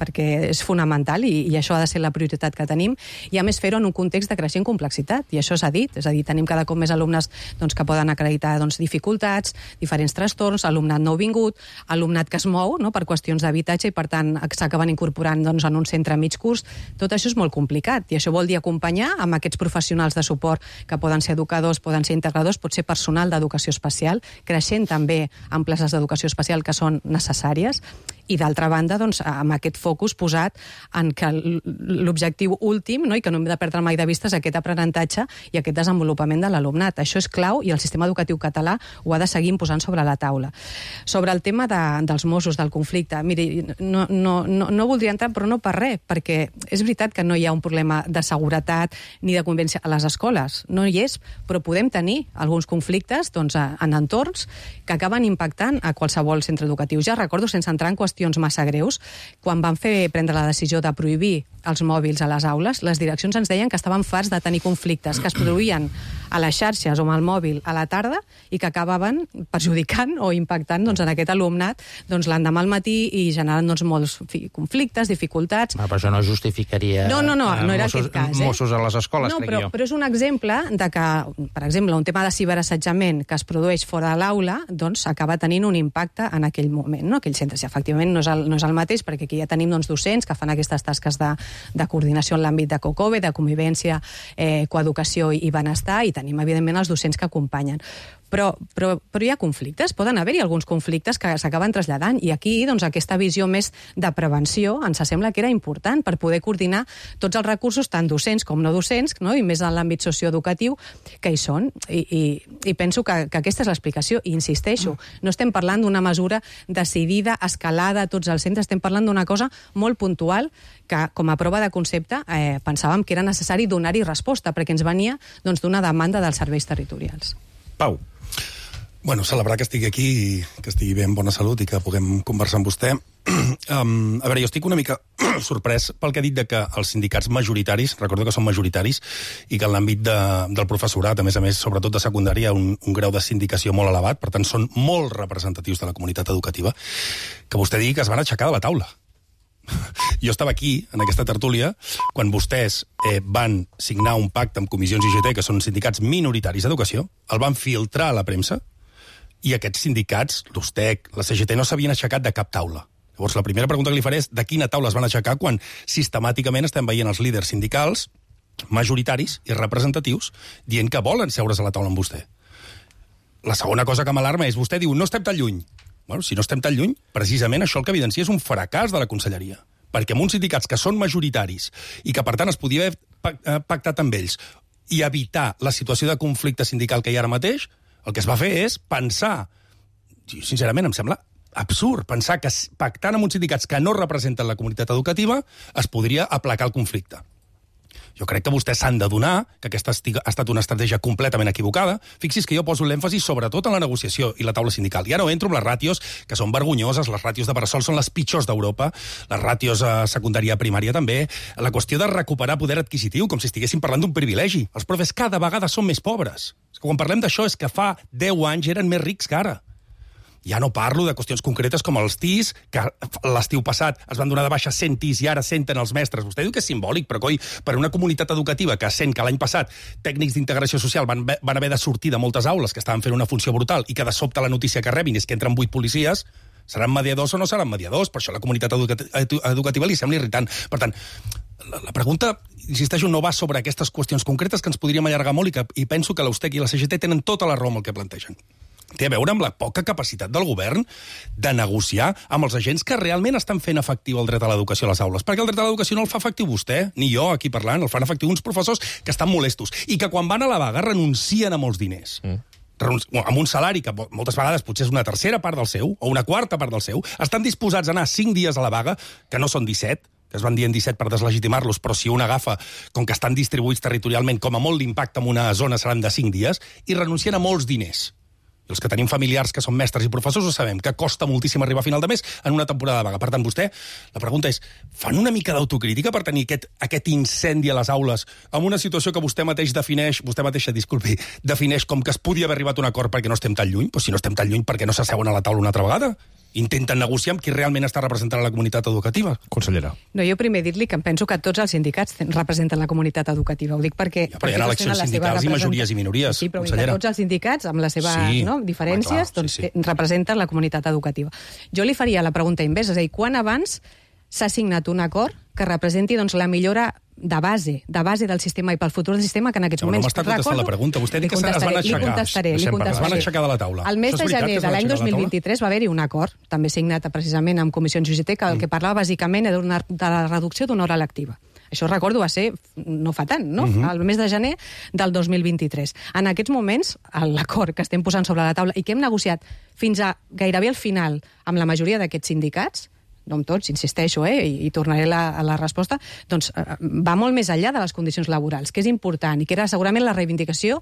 perquè és fonamental i això ha de ser la prioritat que tenim, i a més fer-ho en un context de creixent complexitat, i això s'ha dit, és a dir, tenim cada cop més alumnes doncs, que poden acreditar dificultats, diferents trastorns, alumnat nouvingut, alumnat que es mou per qüestions d'habitatge i, per tant, s'acaben incorporant doncs, en un centre a mig curs. Tot això és molt complicat, i això vol dir acompanyar amb aquests professionals de suport que poden ser educadors, poden ser integradors, pot ser personal d'educació especial, creixent també en places d'educació especial que són necessàries, i d'altra banda, doncs, amb aquest focus posat en que l'objectiu últim, no, i que no hem de perdre mai de vista, és aquest aprenentatge i aquest desenvolupament de l'alumnat. Això és clau i el sistema educatiu català ho ha de seguir posant sobre la taula. Sobre el tema dels Mossos, del conflicte, miri, no voldria entrar, però no per res, perquè és veritat que no hi ha un problema de seguretat ni de convivència a les escoles, no hi és, però podem tenir alguns conflictes doncs, en entorns que acaben impactant a qualsevol centre educatiu. Ja recordo, sense entrar en qüestions massa greus, quan van prendre la decisió de prohibir els mòbils a les aules, les direccions ens deien que estaven farts de tenir conflictes que es produïen a les xarxes o amb el mòbil a la tarda i que acabaven perjudicant o impactant doncs, en aquest alumnat doncs, l'endemà al matí i generant doncs, molts conflictes, dificultats. Però això no justificaria no era aquest cas, Mossos a les escoles, crec jo. Però és un exemple de que, per exemple, un tema de ciberassetjament que es produeix fora de l'aula doncs, acaba tenint un impacte en aquell moment, no? Aquell centre. Efectivament, no és el mateix, perquè aquí ja tenim doncs, docents que fan aquestes tasques de coordinació en l'àmbit de COCOBE, de convivència, coeducació i benestar, i tenim, evidentment, els docents que acompanyen. Però hi ha conflictes, poden haver-hi alguns conflictes que s'acaben traslladant, i aquí doncs, aquesta visió més de prevenció ens sembla que era important per poder coordinar tots els recursos, tant docents com no docents, no? I més en l'àmbit socioeducatiu que hi són. I penso que aquesta és l'explicació, i insisteixo, no estem parlant d'una mesura decidida, escalada a tots els centres, estem parlant d'una cosa molt puntual que, com a prova de concepte, pensàvem que era necessari donar-hi resposta, perquè ens venia doncs, d'una demanda dels serveis territorials. Pau. Bueno, celebrar que estigui aquí i que estigui bé en bona salut i que puguem conversar amb vostè. A veure, jo estic una mica sorprès pel que ha dit de que els sindicats majoritaris, recordo que són majoritaris, i que en l'àmbit del professorat, a més, sobretot de secundària, un grau de sindicació molt elevat, per tant, són molt representatius de la comunitat educativa, que vostè digui que es van aixecar de la taula. Jo estava aquí, en aquesta tertúlia, quan vostès van signar un pacte amb Comissions IGT, que són sindicats minoritaris d'educació, el van filtrar a la premsa, i aquests sindicats, l'USTEC, la CGT, no s'havien aixecat de cap taula. Llavors, la primera pregunta que li faré és de quina taula es van aixecar quan sistemàticament estem veient els líders sindicals majoritaris i representatius dient que volen seure's a la taula amb vostè. La segona cosa que m'alarma és, vostè diu, no estem tan lluny. Bueno, si no estem tan lluny, precisament això el que evidencia és un fracàs de la conselleria. Perquè amb uns sindicats que són majoritaris i que, per tant, es podia haver pactat amb ells i evitar la situació de conflicte sindical que hi ha ara mateix, el que es va fer és pensar, sincerament em sembla absurd, pensar que pactant amb uns sindicats que no representen la comunitat educativa es podria aplacar el conflicte. Jo crec que vostès s'han d'adonar que aquesta ha estat una estratègia completament equivocada. Fixi's que jo poso l'èmfasi sobretot en la negociació i la taula sindical. Ja no entro en les ràtios, que són vergonyoses, les ràtios de Bressol són les pitjors d'Europa, les ràtios a secundària i primària també, la qüestió de recuperar poder adquisitiu, com si estiguéssim parlant d'un privilegi. Els profes cada vegada són més pobres. Quan parlem d'això és que fa 10 anys eren més rics que ara. Ja no parlo de qüestions concretes com els TIs, que l'estiu passat es van donar de baixa 100 TIs i ara 100 els mestres. Vostè diu que és simbòlic, però coi, per una comunitat educativa que sent que l'any passat tècnics d'integració social van haver de sortir de moltes aules que estaven fent una funció brutal i que de sobte la notícia que rebin és que entren 8 policies, seran mediadors o no seran mediadors? Per això la comunitat educativa li sembla irritant. Per tant, la pregunta, insisteixo, no va sobre aquestes qüestions concretes que ens podríem allargar molt i penso que l'USTEC i la CGT tenen tota la raó amb el que plantegen. Té a veure amb la poca capacitat del govern de negociar amb els agents que realment estan fent efectiu el dret a l'educació a les aules. Perquè el dret a l'educació no el fa efectiu vostè, ni jo aquí parlant, el fan efectiu uns professors que estan molestos i que quan van a la vaga renuncien a molts diners. Amb un salari que moltes vegades potser és una tercera part del seu, o una quarta part del seu, estan disposats a anar 5 dies a la vaga, que no són 17, que es van dient 17 per deslegitimar-los, però si un agafa, com que estan distribuïts territorialment, com a molt l'impacte en una zona seran de 5 dies, i renuncien a molts diners. I els que tenim familiars que són mestres i professors ho sabem, que costa moltíssim arribar a final de mes en una temporada de vaga. Per tant, vostè, la pregunta és, fan una mica d'autocrítica per tenir aquest incendi a les aules amb una situació que vostè mateixa defineix com que es podia haver arribat a un acord perquè no estem tan lluny? Però si no estem tan lluny, per què no s'asseuen a la taula una altra vegada? Intenten negociar amb qui realment està representant la comunitat educativa. Consellera. No, jo primer dir-li que em penso que tots els sindicats representen la comunitat educativa. Ho dic perquè... Ja, però hi ha eleccions sindicals i majories i minories, sí, però consellera. Tots els sindicats, amb les seves diferències, doncs representen la comunitat educativa. Jo li faria la pregunta inversa, és a dir, quan abans s'ha signat un acord que representi doncs, la millora de base del sistema i pel futur del sistema, que en aquests moments... No m'està contestant la pregunta. Vostè diu que es van aixecar. Li contestaré. Es van aixecar de la taula. El mes de gener de l'any 2023 va haver-hi un acord, també signat precisament amb Comissions UGT, que el que parlava bàsicament era de la reducció d'una hora lectiva. Això recordo va ser no fa tant, no? El mes de gener del 2023. En aquests moments, l'acord que estem posant sobre la taula i que hem negociat fins a gairebé al final amb la majoria d'aquests sindicats, no amb tots, insisteixo, i tornaré a la resposta, doncs va molt més enllà de les condicions laborals, que és important, i que era segurament la reivindicació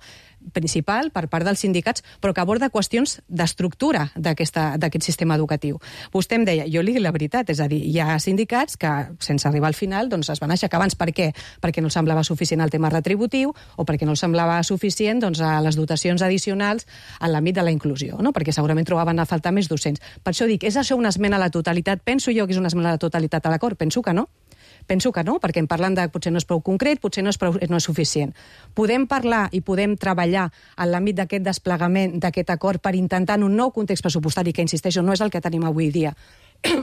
principal per part dels sindicats, però que aborda qüestions d'estructura d'aquest sistema educatiu. Vostè em deia, jo li dic la veritat, és a dir, hi ha sindicats que, sense arribar al final, doncs es van aixecar abans. Per què? Perquè no semblava suficient el tema retributiu, o perquè no semblava suficient doncs, a les dotacions addicionals en l'àmbit de la inclusió, no? Perquè segurament trobaven a faltar més docents. Per això dic, és això una esmena a la totalitat? Penso jo que és una esmena a la totalitat a l'acord? Penso que no. Penso que no, perquè en parlant de potser no és prou concret, potser no és suficient. Podem parlar i podem treballar en l'àmbit d'aquest desplegament, d'aquest acord, per intentar en un nou context pressupostari, que, insisteixo, no és el que tenim avui dia,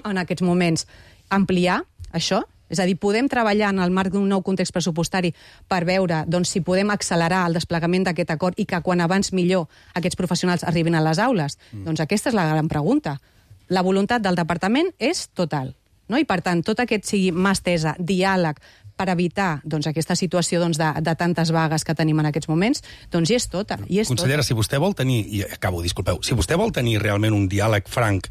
en aquests moments, ampliar això? És a dir, podem treballar en el marc d'un nou context pressupostari per veure doncs, si podem accelerar el desplegament d'aquest acord i que quan abans millor aquests professionals arribin a les aules? Doncs aquesta és la gran pregunta. La voluntat del departament és total. No? I, per tant, tot aquest sigui mà estesa, diàleg, per evitar doncs, aquesta situació doncs, de tantes vagues que tenim en aquests moments, doncs hi és tota. Consellera, si vostè vol tenir, i acabo, disculpeu, si vostè vol tenir realment un diàleg franc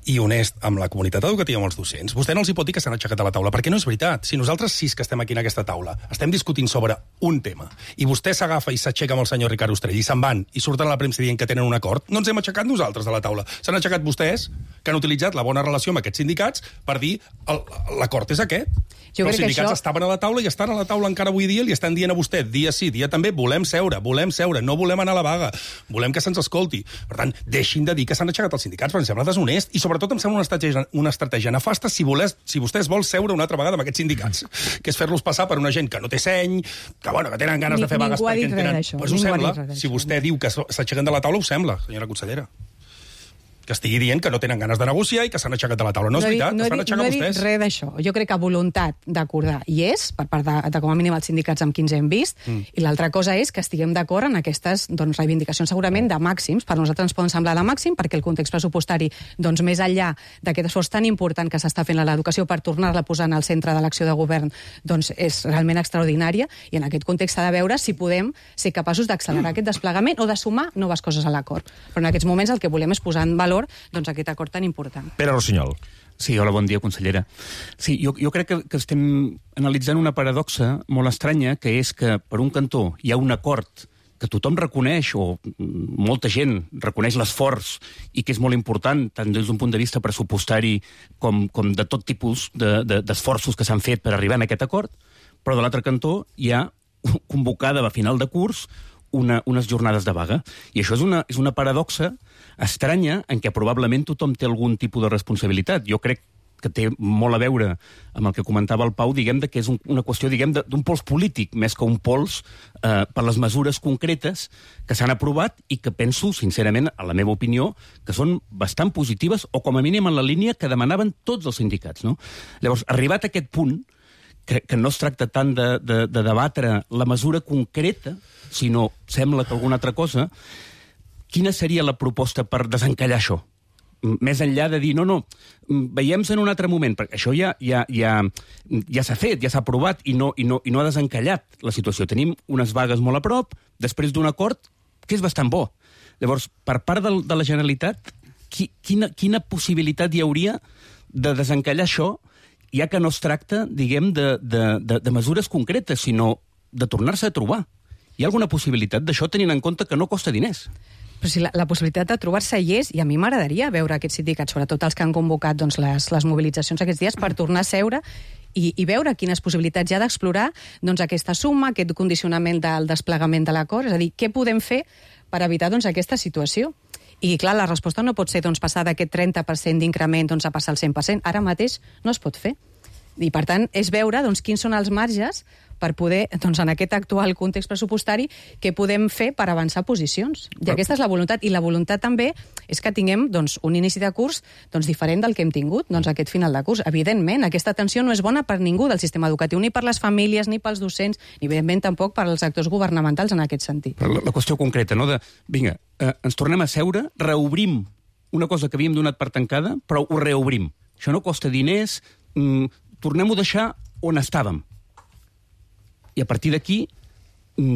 i honest amb la comunitat educativa, amb els docents, vostè no els hi pot dir que s'han aixecat de la taula, perquè no és veritat. Si nosaltres 6 que estem aquí en aquesta taula estem discutint sobre un tema i vostè s'agafa i s'aixeca amb el senyor Ricard Ostrell i se'n van i surten a la premsa dient que tenen un acord, no ens hem aixecat nosaltres de la taula. S'han aixecat vostès, que han utilitzat la bona relació amb aquests sindicats per dir l'acord és aquest. Però els sindicats estaven a la taula i estan a la taula encara avui dia i li estan dient a vostè, dia sí, dia també, volem seure, no volem anar a la vaga, volem que se'ns escolti. Per tant, deixin de dir que s'han aixecat els sindicats, perquè em sembla deshonest i sobretot em sembla una estratègia nefasta si vostès vol seure una altra vegada amb aquests sindicats, que és fer-los passar per una gent que no té seny, que tenen ganes de fer vagues perquè en tenen... Pues ho sembla, si vostè diu que s'aixequen de la taula, ho sembla, senyora consellera. Que estigui dient que no tenen ganes de negociar i que s'han aixecat de la taula. No és veritat, es van aixecar vostès. No he dit res d'això. Jo crec que voluntat d'acordar hi és, per part de com a mínim els sindicats amb qui ens hem vist, i l'altra cosa és que estiguem d'acord en aquestes reivindicacions segurament de màxims. Per nosaltres ens poden semblar de màxim, perquè el context pressupostari, més enllà d'aquest esforç tan important que s'està fent a l'educació per tornar-la a posar en el centre de l'acció de govern, és realment extraordinària, i en aquest context s'ha de veure si podem ser capaços d'accelerar aquest desplegament o de sumar noves coses a l'acord. Però en aquests moments el que volem és posar en valor aquest acord tan important. Pere Rossinyol. Sí, hola, bon dia, consellera. Sí, jo crec que estem analitzant una paradoxa molt estranya, que és que, per un cantó, hi ha un acord que tothom reconeix, o molta gent reconeix l'esforç, i que és molt important, tant des d'un punt de vista pressupostari com de tot tipus d'esforços que s'han fet per arribar a aquest acord, però de l'altre cantó hi ha convocada a final de curs unes jornades de vaga. I això és una paradoxa estranya en què probablement tothom té algun tipus de responsabilitat. Jo crec que té molt a veure amb el que comentava el Pau, diguem que és una qüestió d'un pols polític, més que un pols per les mesures concretes que s'han aprovat i que penso, sincerament, a la meva opinió, que són bastant positives o com a mínim en la línia que demanaven tots els sindicats. No? Llavors, arribat a aquest punt, que no es tracta tant de debatre la mesura concreta, sinó sembla que alguna altra cosa, quina seria la proposta per desencallar això? Més enllà de dir, no, veiem-se en un altre moment, perquè això ja s'ha fet, ja s'ha aprovat i no ha desencallat la situació. Tenim unes vagues molt a prop, després d'un acord que és bastant bo. Llavors, per part de la Generalitat, quina possibilitat hi hauria de desencallar això, ja que no es tracta, diguem, de mesures concretes, sinó de tornar-se a trobar? Hi ha alguna possibilitat d'això, tenint en compte que no costa diners? Però si la possibilitat de trobar-se hi és, i a mi m'agradaria veure aquests sindicats, sobretot els que han convocat les mobilitzacions aquests dies, per tornar a seure i veure quines possibilitats hi ha d'explorar aquesta suma, aquest condicionament del desplegament de l'acord, és a dir, què podem fer per evitar aquesta situació? I, clar, la resposta no pot ser passar d'aquest 30% d'increment a passar al 100%. Ara mateix no es pot fer. I, per tant, és veure quins són els marges per poder, en aquest actual context pressupostari, què podem fer per avançar posicions. I aquesta és la voluntat. I la voluntat també és que tinguem un inici de curs diferent del que hem tingut aquest final de curs. Evidentment, aquesta tensió no és bona per ningú del sistema educatiu, ni per les famílies, ni pels docents, ni evidentment tampoc per als actors governamentals en aquest sentit. Però la qüestió concreta, no? Vinga, ens tornem a seure, reobrim una cosa que havíem donat per tancada, però ho reobrim. Això no costa diners, tornem-ho a deixar on estàvem. I a partir d'aquí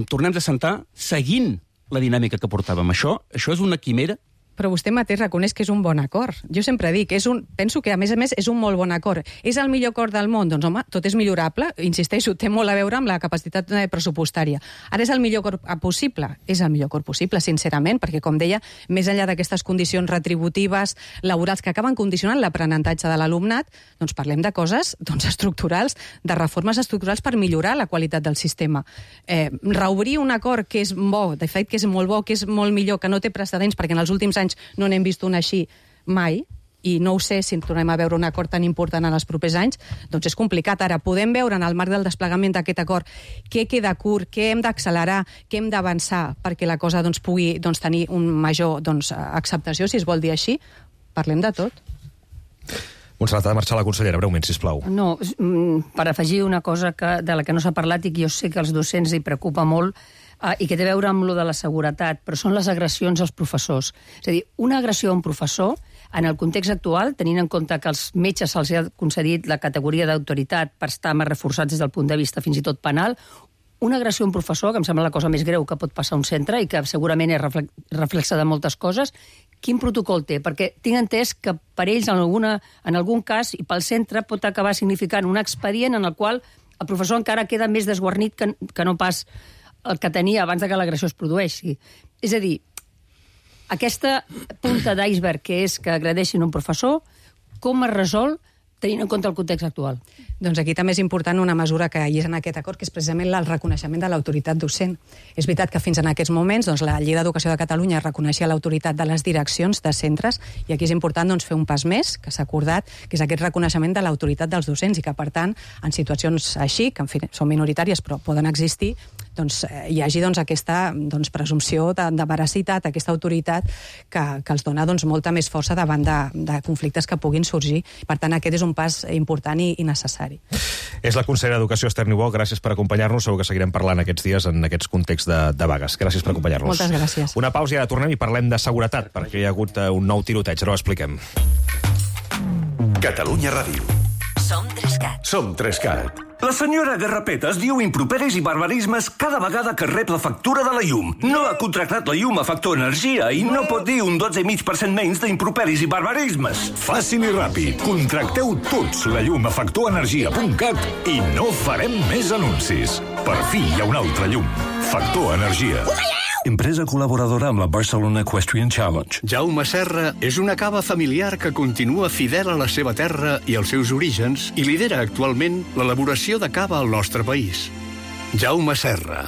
tornem a sentar seguint la dinàmica que portàvem. Això és una quimera. Però vostè mateix reconeix que és un bon acord. Jo sempre dic, penso que a més és un molt bon acord. És el millor acord del món? Doncs home, tot és millorable. Insisteixo, té molt a veure amb la capacitat pressupostària. Ara és el millor acord possible? És el millor acord possible, sincerament, perquè, com deia, més enllà d'aquestes condicions retributives, laborals, que acaben condicionant l'aprenentatge de l'alumnat, doncs parlem de coses estructurals, de reformes estructurals per millorar la qualitat del sistema. Reobrir un acord que és bo, de fet que és molt bo, que és molt millor, que no té precedents, perquè en els últims anys no n'hem vist un així mai, i no ho sé si tornem a veure un acord tan important en els propers anys, doncs és complicat. Ara, podem veure en el marc del desplegament d'aquest acord què queda curt, què hem d'accelerar, què hem d'avançar perquè la cosa pugui tenir un major acceptació, si es vol dir així. Parlem de tot. Montserrat, ha de marxar la consellera, breument, sisplau. No, per afegir una cosa de la que no s'ha parlat i que jo sé que als docents hi preocupa molt, i que té a veure amb lo de la seguretat, però són les agressions als professors. És a dir, una agressió a un professor, en el context actual, tenint en compte que als metges se'ls ha concedit la categoria d'autoritat per estar més reforçats des del punt de vista fins i tot penal, una agressió a un professor, que em sembla la cosa més greu que pot passar a un centre i que segurament és reflexa de moltes coses, quin protocol té? Perquè tinc entès que per ells, en algun cas, i pel centre, pot acabar significant un expedient en el qual el professor encara queda més desguarnit que no pas el que tenia abans que l'agressió es produeixi. És a dir, aquesta punta d'iceberg que és que agredeixin un professor, com es resol tenint en compte el context actual? Doncs aquí també és important una mesura que hi és en aquest acord, que és precisament el reconeixement de l'autoritat docent. És veritat que fins en aquests moments la Llei d'Educació de Catalunya reconeixia l'autoritat de les direccions de centres, i aquí és important fer un pas més, que s'ha acordat, que és aquest reconeixement de l'autoritat dels docents, i que, per tant, en situacions així, que en fi, són minoritàries però poden existir, hi hagi aquesta presumpció de veracitat, aquesta autoritat que els dona molta més força davant de conflictes que puguin sorgir. Per tant, aquest és un pas important i necessari. És la consellera d'Educació, Esther Niubó. Gràcies per acompanyar-nos. Segur que seguirem parlant aquests dies en aquests contexts de vagues. Gràcies per acompanyar-nos. Moltes gràcies. Una pausa i ara tornem i parlem de seguretat, perquè hi ha hagut un nou tiroteig. Ara ho expliquem. Catalunya Ràdio. Som 3CAT. Som 3CAT. La senyora Garrapetes diu improperis i barbarismes cada vegada que rep la factura de la llum. No ha contractat la llum a Factor Energia i no pot dir un 12,5% menys d'improperis i barbarismes. Fàcil i ràpid. Contracteu tots la llum a factorenergia.cat i no farem més anuncis. Per fi hi ha una altra llum. Factor Energia. Empresa col·laboradora amb la Barcelona Equestrian Challenge. Jaume Serra és una cava familiar que continua fidel a la seva terra i als seus orígens i lidera actualment l'elaboració de cava al nostre país. Jaume Serra,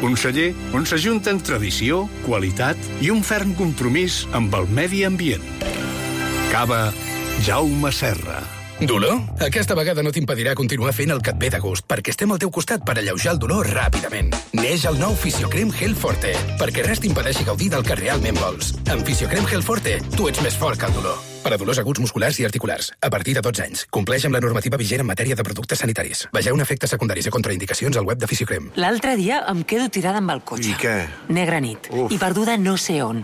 un celler on s'ajunten tradició, qualitat i un ferm compromís amb el medi ambient. Cava Jaume Serra. Dolor? Aquesta vegada no t'impedirà continuar fent el que et ve de gust, perquè estem al teu costat per alleujar el dolor ràpidament. Neix el nou Fisiocrem Gel Forte, perquè res t'impedeixi gaudir del que realment vols. Amb Fisiocrem Gel Forte, tu ets més fort que el dolor. Per a dolors aguts musculars i articulars, a partir de 12 anys. Compleix amb la normativa vigent en matèria de productes sanitaris. Vegeu efectes secundaris i contraindicacions al web de Fisiocrem. L'altre dia em quedo tirada amb el cotxe. I què? Negra nit. I perduda no sé on.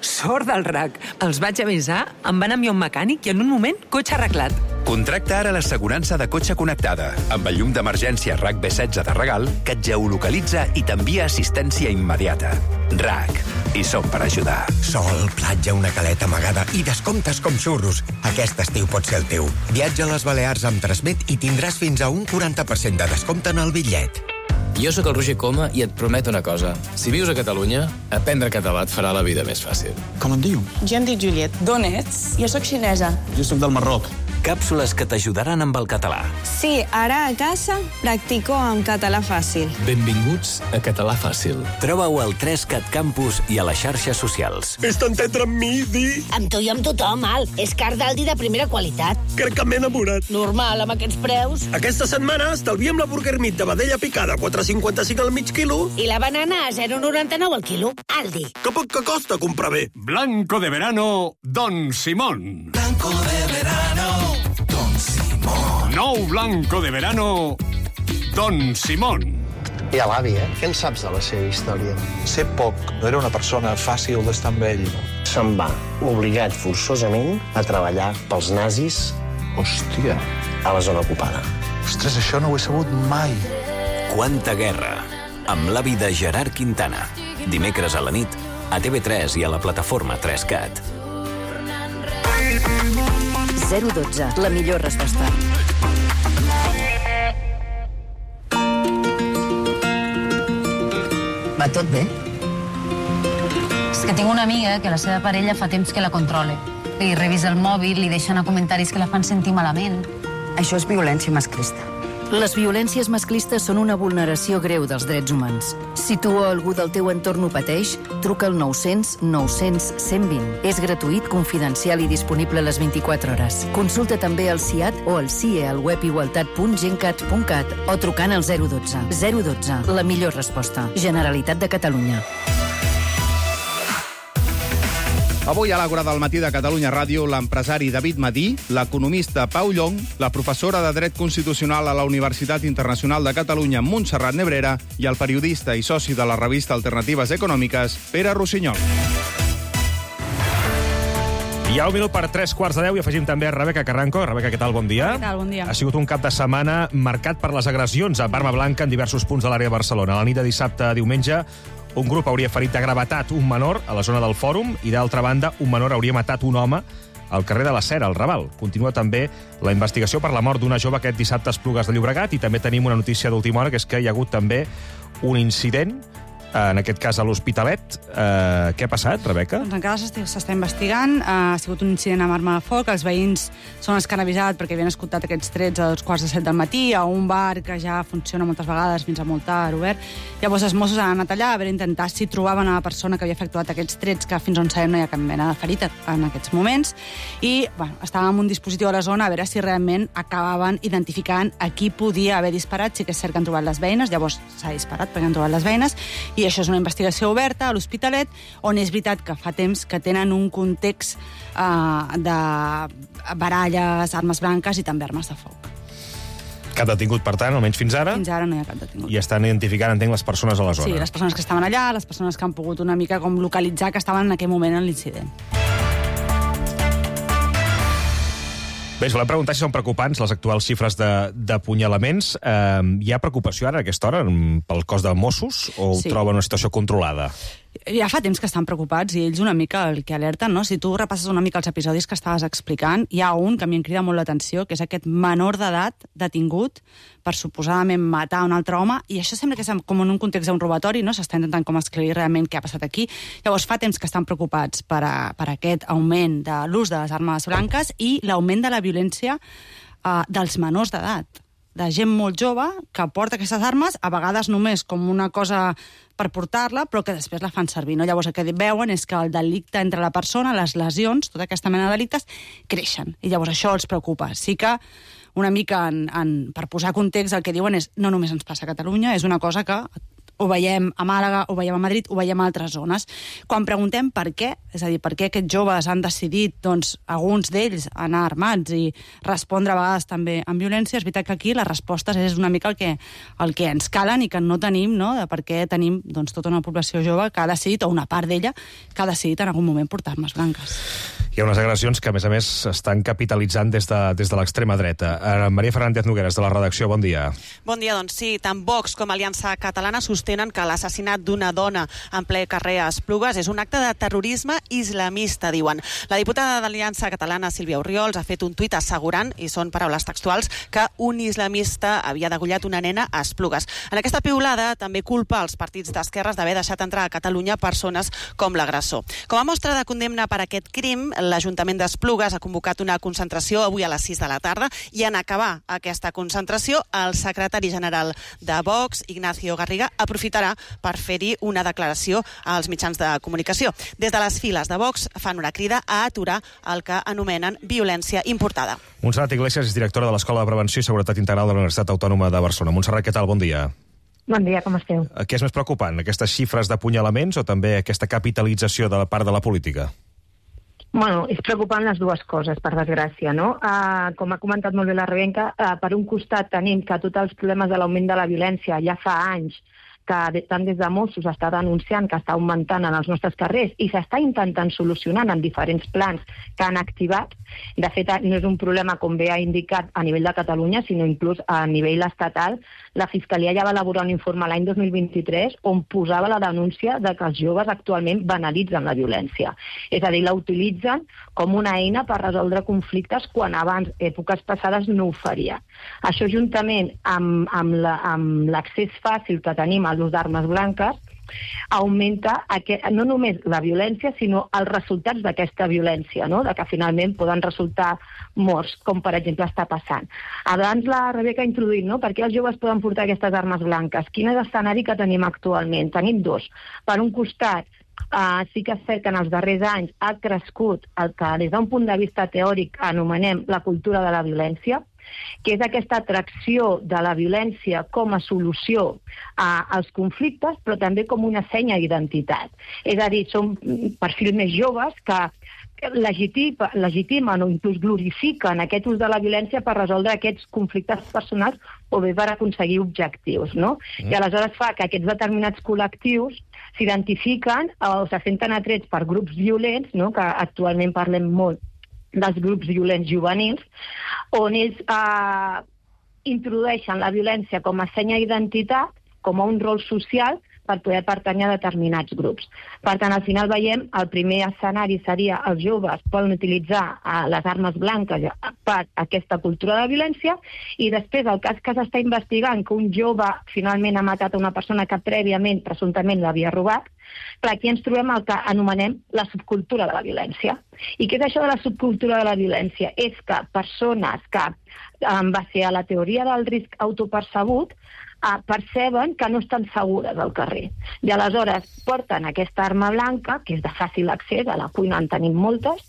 Sort del RAC. Els vaig avisar, em van enviar un mecànic i en un moment, cotxe arreglat. Contracta ara l'assegurança de cotxe connectada, amb el llum d'emergència RAC B16 de regal, que et geolocalitza i t'envia assistència immediata. RAC. I som per ajudar. Sol, platja, una caleta amagada i descomptes com xurros. Aquest estiu pot ser el teu. Viatja a les Balears amb Transmet i tindràs fins a un 40% de descompte en el bitllet. Jo sóc el Roger Coma i et prometo una cosa. Si vius a Catalunya, aprendre català et farà la vida més fàcil. Com et diu? Jo em dic Juliet. D'on ets? Jo sóc xinesa. Jo sóc del Marroc. Càpsules que t'ajudaran amb el català. Sí, ara a casa practico en català fàcil. Benvinguts a Català Fàcil. Troba-ho al 3CAT Campus i a les xarxes socials. És tan tendre amb mi, Di. Amb tu i amb tothom, Al. És car d'Aldi de primera qualitat. Crec que m'he enamorat. Normal, amb aquests preus. Aquesta setmana estalviem la burger meat de vedella picada, 4,55 al mig quilo. I la banana a 0,99 al quilo. Aldi. Que poc que costa comprar bé. Blanco de verano, Don Simón. Blanco de verano, Don Simón. Nou blanco de verano, Don Simón. I a l'avi, Què en saps de la seva història? Sé poc. No era una persona fàcil d'estar amb ell. Se'n va, obligat forçosament a treballar pels nazis. Hòstia. A la zona ocupada. Ostres, això no ho he sabut mai. Quanta guerra, amb l'avi de Gerard Quintana. Dimecres a la nit, a TV3 i a la plataforma 3CAT. 012, la millor resposta. Va tot bé? És que tinc una amiga que la seva parella fa temps que la controla. Li revisa el mòbil, li deixa anar comentaris que la fan sentir malament. Això és violència masclista. Les violències masclistes són una vulneració greu dels drets humans. Si tu o algú del teu entorn ho pateix, truca al 900 900 120. És gratuït, confidencial i disponible a les 24 hores. Consulta també el CIAT o el CIE al web igualtat.gencat.cat o trucant al 012. 012, la millor resposta. Generalitat de Catalunya. Avui a l'Àgora del matí de Catalunya Ràdio, l'empresari David Madí, l'economista Pau Llong, la professora de Dret Constitucional a la Universitat Internacional de Catalunya, Montserrat Nebrera, i el periodista i soci de la revista Alternatives Econòmiques, Pere Rossinyol. Hi ha un minut per 3:15 i afegim també a Rebeca Carranco. Rebeca, què tal? Bon dia. Què tal? Bon dia. Ha sigut un cap de setmana marcat per les agressions amb arma blanca en diversos punts de l'àrea de Barcelona. A la nit de dissabte a diumenge, un grup hauria ferit de gravetat un menor a la zona del Fòrum i, d'altra banda, un menor hauria matat un home al carrer de la Cera, al Raval. Continua també la investigació per la mort d'una jove aquest dissabte a Esplugues de Llobregat i també tenim una notícia d'última hora, que és que hi ha hagut també un incident, en aquest cas a l'Hospitalet. Què ha passat, Rebeca? Doncs encara s'està investigant. Ha sigut un incident amb arma de foc. Els veïns són els que han avisat perquè havien escoltat aquests trets a 2:45 del matí a un bar que ja funciona moltes vegades fins a molt tard, obert. Llavors els Mossos han anat allà a veure intentar si trobaven a la persona que havia efectuat aquests trets, que fins on sabem no hi ha cap mena de ferida en aquests moments. I estàvem amb un dispositiu a la zona a veure si realment acabaven identificant a qui podia haver disparat. Sí que és cert que han trobat les veïnes, llavors s'ha disparat perquè han trobat les veïnes, i això és una investigació oberta a l'Hospitalet, on és veritat que fa temps que tenen un context de baralles, armes blanques i també armes de foc. Cap detingut, per tant, almenys fins ara? Fins ara no hi ha cap detingut. I estan identificant, entenc, les persones a la zona. Sí, les persones que estaven allà, les persones que han pogut una mica com localitzar que estaven en aquell moment en l'incident. Bé, us volem preguntar si són preocupants les actuals xifres d'apunyalaments. Hi ha preocupació ara a aquesta hora pel cos de Mossos o ho troben una situació controlada? Ja fa temps que estan preocupats i ells una mica el que alerten, no? Si tu repasses una mica els episodis que estaves explicant, hi ha un que a mi em crida molt l'atenció, que és aquest menor d'edat detingut per suposadament matar un altre home, i això sembla que és com en un context d'un robatori, no? S'està intentant com esclarir realment què ha passat aquí. Llavors fa temps que estan preocupats per aquest augment de l'ús de les armes blanques i l'augment de la violència dels menors d'edat, de gent molt jove que porta aquestes armes, a vegades només com una cosa per portar-la, però que després la fan servir, no? Llavors el que veuen és que el delicte entre la persona, les lesions, tota aquesta mena de delictes, creixen. I llavors això els preocupa. Sí que una mica, per posar context, el que diuen és no només ens passa a Catalunya, és una cosa que ho veiem a Màlaga, ho veiem a Madrid, ho veiem a altres zones. Quan preguntem per què, és a dir, per què aquests joves han decidit, doncs, alguns d'ells anar armats i respondre a vegades també amb violència, és veritat que aquí la resposta és una mica el que ens calen i que no tenim, no?, de per què tenim doncs, tota una població jove que ha decidit, o una part d'ella, que ha decidit en algun moment portar armes blanques. Hi ha unes agressions que, a més, estan capitalitzant des de l'extrema dreta. Maria Fernández Nogueras, de la redacció, bon dia. Bon dia, doncs sí, tant Vox com Aliança Catalana sostenen que l'assassinat d'una dona en ple carrer a Esplugues és un acte de terrorisme islamista, diuen. La diputada d'Aliança Catalana, Sílvia Orriols, ha fet un tuit assegurant, i són paraules textuals, que un islamista havia degollat una nena a Esplugues. En aquesta piulada també culpa els partits d'esquerres d'haver deixat entrar a Catalunya persones com l'agressor. Com a mostra de condemna per aquest crim, l'Ajuntament d'Esplugues ha convocat una concentració avui a les 6 de la tarda i en acabar aquesta concentració, el secretari general de Vox, Ignacio Garriga, aprofitarà per fer-hi una declaració als mitjans de comunicació. Des de les files de Vox fan una crida a aturar el que anomenen violència importada. Montserrat Iglesias és directora de l'Escola de Prevenció i Seguretat Integral de la Universitat Autònoma de Barcelona. Montserrat, què tal? Bon dia. Bon dia, com esteu? Què és més preocupant, aquestes xifres d'apunyalaments o també aquesta capitalització de la part de la política? Bueno, és preocupant les dues coses, per desgràcia, no? Com ha comentat molt bé la Rebeca, per un costat tenim que tots els problemes de l'augment de la violència ja fa anys que tant des de Mossos està denunciant que està augmentant en els nostres carrers i s'està intentant solucionar en diferents plans que han activat. De fet, no és un problema, com bé ha indicat, a nivell de Catalunya, sinó inclús a nivell estatal. La Fiscalia ja va elaborar un informe l'any 2023 on posava la denúncia de que els joves actualment banalitzen la violència. És a dir, la utilitzen com una eina per resoldre conflictes quan abans, èpoques passades, no ho faria. Això, juntament amb l'accés fàcil que tenim a l'ús d'armes blanques, augmenta no només la violència, sinó els resultats d'aquesta violència, no? De que finalment poden resultar morts, com per exemple està passant. Abans la Rebeca ha introduït, no? Per què els joves poden portar aquestes armes blanques? Quin és l'escenari que tenim actualment? Tenim dos. Per un costat, sí que és cert que en els darrers anys ha crescut el que des d'un punt de vista teòric anomenem la cultura de la violència, que és aquesta atracció de la violència com a solució als conflictes, però també com una senya d'identitat. És a dir, són perfils més joves que legitimen o inclús glorifiquen aquest ús de la violència per resoldre aquests conflictes personals o bé per aconseguir objectius, no? I aleshores fa que aquests determinats col·lectius s'identifiquen o se senten atrets per grups violents, no? Que actualment parlem molt dels grups violents juvenils, on ells introdueixen la violència com a senya d'identitat, com a un rol social, per poder pertànyer a determinats grups. Per tant, al final veiem, el primer escenari seria els joves poden utilitzar les armes blanques per aquesta cultura de violència, i després el cas que s'està investigant, que un jove finalment ha matat a una persona que prèviament, presumptament, l'havia robat, clar, aquí ens trobem el que anomenem la subcultura de la violència. I què és això de la subcultura de la violència? És que persones que, en base a la teoria del risc autopercebut, perceben que no estan segures al carrer. I aleshores porten aquesta arma blanca, que és de fàcil accés, a la cuina en tenim moltes,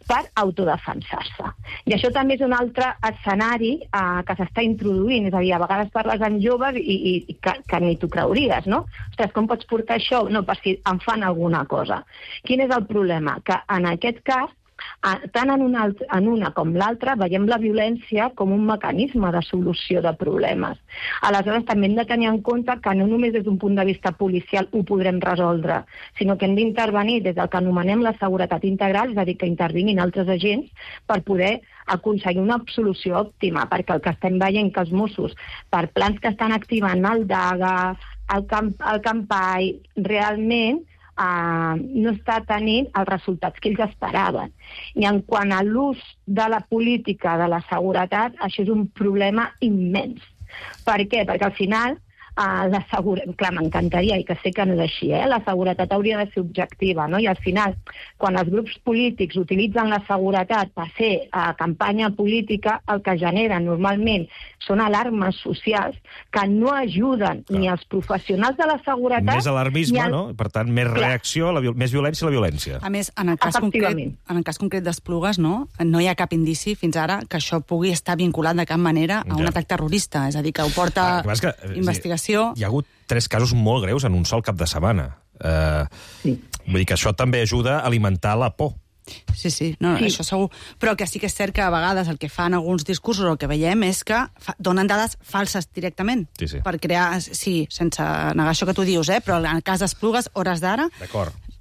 per autodefensar-se. I això també és un altre escenari que s'està introduint, és a dir, a vegades parles amb joves i que ni t'ho creuries, no? Ostres, com pots portar això? No, per si em fan alguna cosa. Quin és el problema? Que en aquest cas, tant en una com l'altra, veiem la violència com un mecanisme de solució de problemes. Aleshores, també hem de tenir en compte que no només des d'un punt de vista policial ho podrem resoldre, sinó que hem d'intervenir des del que anomenem la seguretat integral, és a dir, que intervinguin altres agents per poder aconseguir una solució òptima, perquè el que estem veient que els Mossos, per plans que estan activant el DAGA, el Campai, realment no està tenint els resultats que ells esperaven. I en quant a l'ús de la política de la seguretat, això és un problema immens. Per què? Perquè al final, clar, m'encantaria, i que sé que no és així, la seguretat hauria de ser objectiva, no? I al final, quan els grups polítics utilitzen la seguretat per fer campanya política, el que generen normalment són alarmes socials que no ajuden ni als professionals de la seguretat... Més alarmisme, no? Per tant, més reacció, més violència a la violència. A més, en el cas concret d'Esplugues, no hi ha cap indici fins ara que això pugui estar vinculat de cap manera a un atac terrorista. És a dir, que ho porta investigació. Hi ha hagut 3 casos molt greus en un sol cap de setmana. Vull dir que això també ajuda a alimentar la por. Sí, això segur. Però que sí que és cert que a vegades el que fan alguns discursos, el que veiem és que donen dades falses directament. Sí. Per crear, sí, sense negar això que tu dius, però en el cas d'Esplugues, hores d'ara,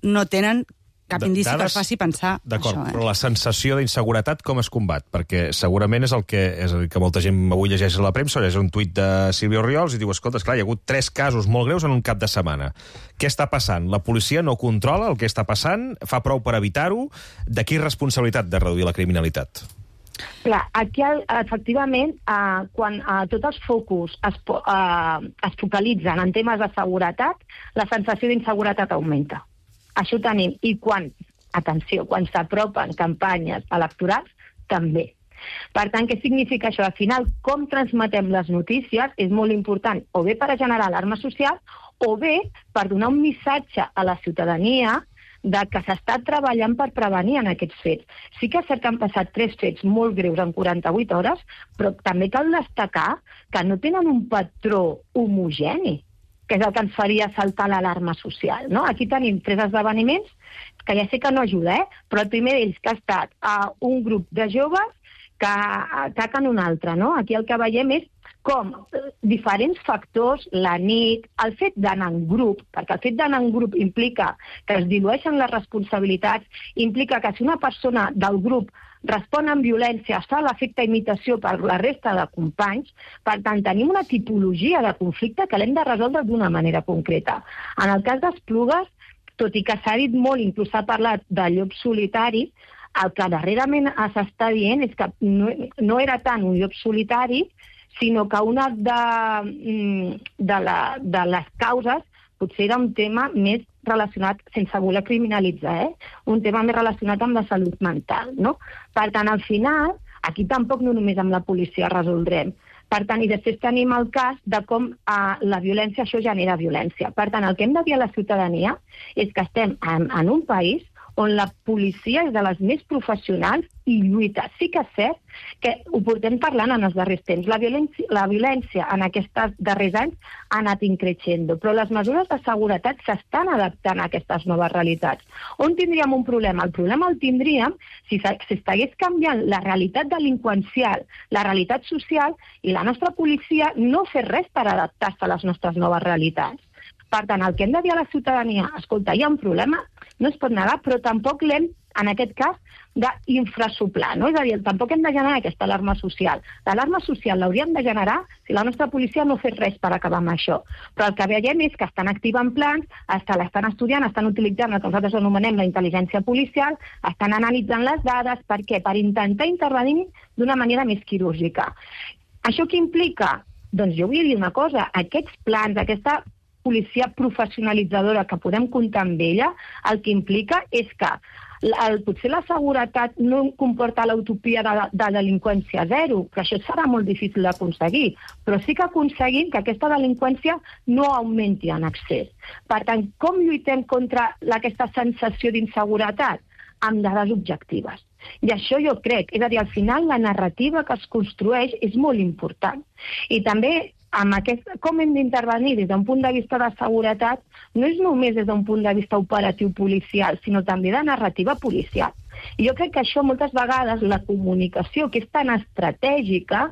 no tenen cap indici que faci pensar això. D'acord, però la sensació d'inseguretat com es combat? Perquè segurament és el que molta gent avui llegeix a la premsa, o llegeix un tuit de Sílvia Orriols i diu, escolta, esclar, hi ha hagut 3 casos molt greus en un cap de setmana. Què està passant? La policia no controla el que està passant? Fa prou per evitar-ho? De qui és responsabilitat de reduir la criminalitat? Clar, aquí, efectivament, quan tots els focus es focalitzen en temes de seguretat, la sensació d'inseguretat augmenta. Això tenim. I quan s'apropen campanyes electorals, també. Per tant, què significa això? Al final, com transmetem les notícies és molt important, o bé per generar alarma social, o bé per donar un missatge a la ciutadania de que s'està treballant per prevenir en aquests fets. Sí que és cert que han passat 3 fets molt greus en 48 hores, però també cal destacar que no tenen un patró homogeni, que és el que ens faria saltar l'alarma social, no? Aquí tenim 3 esdeveniments que ja sé que no ajuda, però el primer d'ells que ha estat un grup de joves que ataquen un altre, no? Aquí el que veiem és com diferents factors, la nit, el fet d'anar en grup, perquè el fet d'anar en grup implica que es dilueixen les responsabilitats, implica que si una persona del grup respon amb violència, es fa l'efecte imitació per la resta de companys. Per tant, tenim una tipologia de conflicte que l'hem de resoldre d'una manera concreta. En el cas d'Esplugues, tot i que s'ha dit molt, inclús s'ha parlat de llop solitari, el que darrerament s'està dient és que no era tant un llop solitari, sinó que una de les causes potser era un tema més relacionat, sense voler criminalitzar, un tema més relacionat amb la salut mental, no? Per tant, al final, aquí tampoc no només amb la policia resoldrem. Per tant, i després tenim el cas de com la violència, això genera violència. Per tant, el que hem de dir a la ciutadania és que estem en un país on la policia és de les més professionals i lluita. Sí que és cert que ho portem parlant en els darrers temps. La violència en aquests darrers anys ha anat increixent, però les mesures de seguretat s'estan adaptant a aquestes noves realitats. On tindríem un problema? El problema el tindríem si s'estigués canviant la realitat delinqüencial, la realitat social, i la nostra policia no fes res per adaptar-se a les nostres noves realitats. Per tant, el que hem de dir a la ciutadania, escolta, hi ha un problema, no es pot negar, però tampoc l'hem, en aquest cas, d'infrasoplar, no? És a dir, tampoc hem de generar aquesta alarma social. L'alarma social l'hauríem de generar si la nostra policia no fes res per acabar amb això. Però el que veiem és que estan activant plans, l'estan estudiant, estan utilitzant el que nosaltres anomenem la intel·ligència policial, estan analitzant les dades, per què? Per intentar intervenir d'una manera més quirúrgica. Això què implica? Doncs jo vull dir una cosa, aquests plans, aquesta policia professionalitzadora que podem comptar amb ella, el que implica és que potser la seguretat no comporta l'utopia de delinqüència zero, però això serà molt difícil d'aconseguir, però sí que aconseguim que aquesta delinqüència no augmenti en excés. Per tant, com lluitem contra aquesta sensació d'inseguretat? Amb dades objectives. I això jo crec, és a dir, al final la narrativa que es construeix és molt important. I també com hem d'intervenir des d'un punt de vista de seguretat, no és només des d'un punt de vista operatiu policial, sinó també de narrativa policial. I jo crec que això moltes vegades, la comunicació, que és tan estratègica,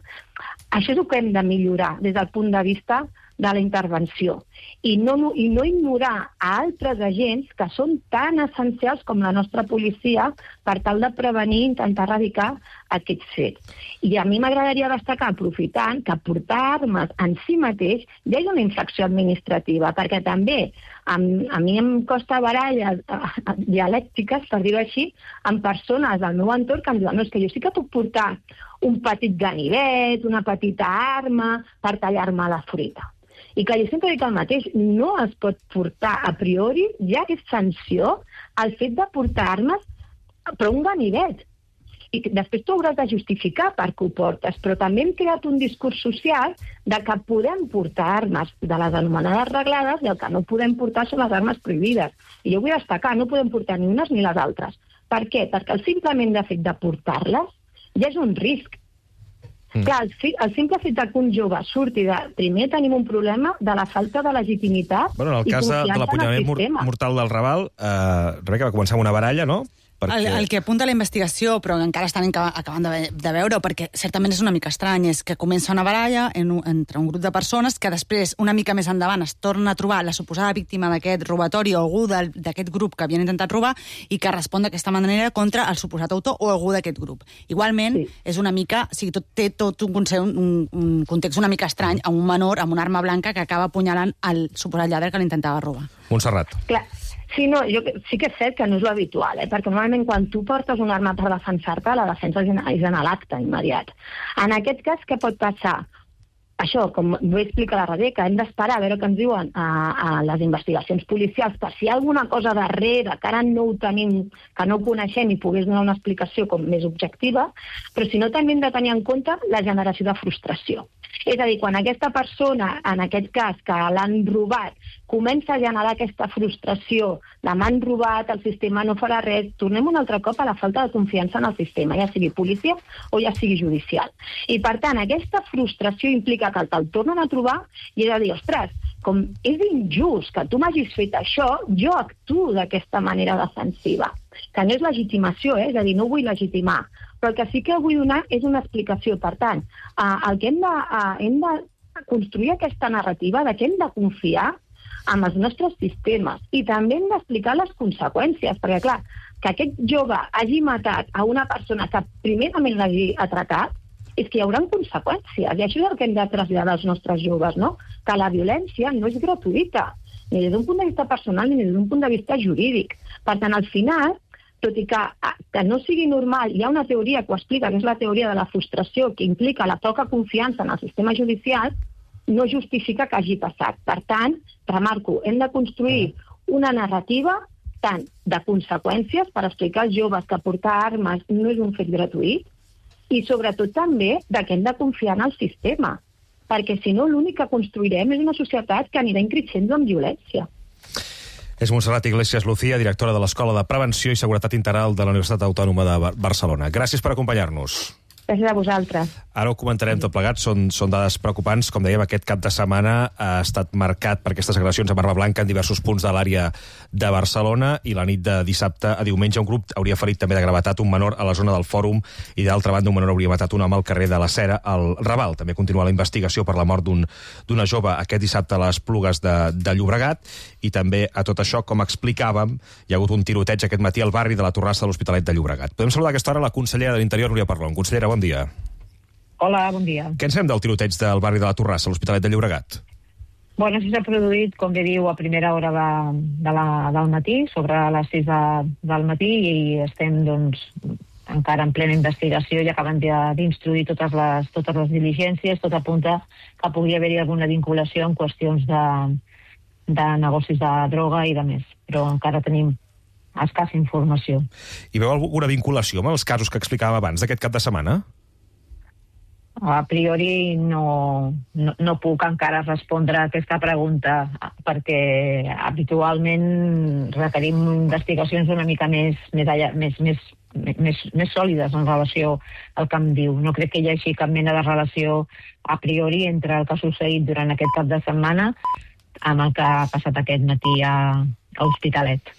això és el que hem de millorar des del punt de vista de la intervenció. I no ignorar a altres agents que són tan essencials com la nostra policia per tal de prevenir i intentar erradicar aquests fets. I a mi m'agradaria destacar, aprofitant, que portar armes en si mateix ja és una infracció administrativa, perquè també a mi em costa baralles dialèctiques, per dir-ho així, amb persones del meu entorn que em diuen no, és que jo sí que puc portar un petit ganivet, una petita arma per tallar-me la fruita. I que jo sempre dic el mateix, no es pot portar a priori, ja que és sanció, el fet de portar armes, però un ganivet. I després tu hauràs de justificar per què ho portes, però també hem creat un discurs social de que podem portar armes de les anomenades reglades i el que no podem portar són les armes prohibides. I jo vull destacar, no podem portar ni unes ni les altres. Per què? Perquè el simplement fet de portar-les ja és un risc. Clar, el simple fet que un jove surti primer tenim un problema de la falta de legitimitat en el cas de l'apunyalament mortal del Raval, Rebeca, va començar amb una baralla, no? El que apunta la investigació, però encara estan acabant de veure, perquè certament és una mica estrany, és que comença una baralla entre un grup de persones que després, una mica més endavant, es torna a trobar la suposada víctima d'aquest robatori o algú d'aquest grup que havien intentat robar i que respon d'aquesta manera contra el suposat autor o algú d'aquest grup. Igualment, és una mica, té tot un context una mica estrany amb un menor amb una arma blanca que acaba apunyalant el suposat lladre que l'intentava robar. Montserrat. Clar. Sí, no, sí que és cert que no és l'habitual, perquè normalment quan tu portes una arma per defensar-te, la defensa és en l'acte immediat. En aquest cas, què pot passar? Això, com vull explicar a la Rebeca, hem d'esperar a veure què ens diuen a les investigacions policials per si hi ha alguna cosa darrere que ara no ho tenim, que no ho coneixem i pogués donar una explicació com més objectiva, però si no també hem de tenir en compte la generació de frustració. És a dir, quan aquesta persona, en aquest cas, que l'han robat, comença a generar aquesta frustració de m'han robat, el sistema no farà res, tornem un altre cop a la falta de confiança en el sistema, ja sigui policia o ja sigui judicial. I, per tant, aquesta frustració implica que te'l tornen a trobar i he de dir, ostres, com és injust que tu m'hagis fet això, jo actuo d'aquesta manera defensiva. Que no és legitimació, és a dir, no vull legitimar. Però el que sí que vull donar és una explicació. Per tant, el que hem de construir aquesta narrativa de que hem de confiar en els nostres sistemes i també hem d'explicar les conseqüències, perquè clar, que aquest jove hagi matat a una persona que primerament l'hagi atracat, és que hi haurà conseqüències, i això és el que hem de traslladar als nostres joves, no? Que la violència no és gratuïta, ni des d'un punt de vista personal ni des d'un punt de vista jurídic. Per tant, al final, tot i que no sigui normal, hi ha una teoria que ho explica, que és la teoria de la frustració, que implica la poca confiança en el sistema judicial, no justifica que hagi passat. Per tant, remarco, hem de construir una narrativa tant de conseqüències per explicar als joves que portar armes no és un fet gratuït i sobretot també que hem de confiar en el sistema, perquè si no l'únic que construirem és una societat que anirà increixent amb violència. És Montserrat Iglesias Lucía, directora de l'Escola de Prevenció i Seguretat Integral de la Universitat Autònoma de Barcelona. Gràcies per acompanyar-nos. Gràcies a vosaltres. Ara ho comentarem tot plegat, són dades preocupants. Com dèiem, aquest cap de setmana ha estat marcat per aquestes agressions a Barba Blanca en diversos punts de l'àrea de Barcelona, i la nit de dissabte a diumenge un grup hauria ferit també de gravetat un menor a la zona del Fòrum, i d'altra banda un menor hauria matat un home al carrer de la Cera, al Raval. També continua la investigació per la mort d'una jove aquest dissabte a les Esplugues de Llobregat, i també a tot això, com explicàvem, hi ha hagut un tiroteig aquest matí al barri de la Torrassa de l'Hospitalet de Llobregat. Podem saludar a aquesta hora la consellera de l'Interior, Núria Parlon. Consellera, bon dia. Hola, bon dia. Què en sabem del tiroteig del barri de la Torrassa, a l'Hospitalet de Llobregat? Bueno, això s'ha produït, com bé diu, a primera hora del matí, sobre les 6 del matí, i estem, doncs, encara en plena investigació i acaben d'instruir totes les diligències. Tot apunta que pugui haver-hi alguna vinculació en qüestions de negocis de droga i de més, però encara tenim escassa informació. Hi veu alguna vinculació amb els casos que explicàvem abans d'aquest cap de setmana? A priori no puc encara respondre a aquesta pregunta, perquè habitualment requerim investigacions una mica més sòlides en relació al que em diu. No crec que hi hagi cap mena de relació a priori entre el que ha succeït durant aquest cap de setmana amb el que ha passat aquest matí a Hospitalet.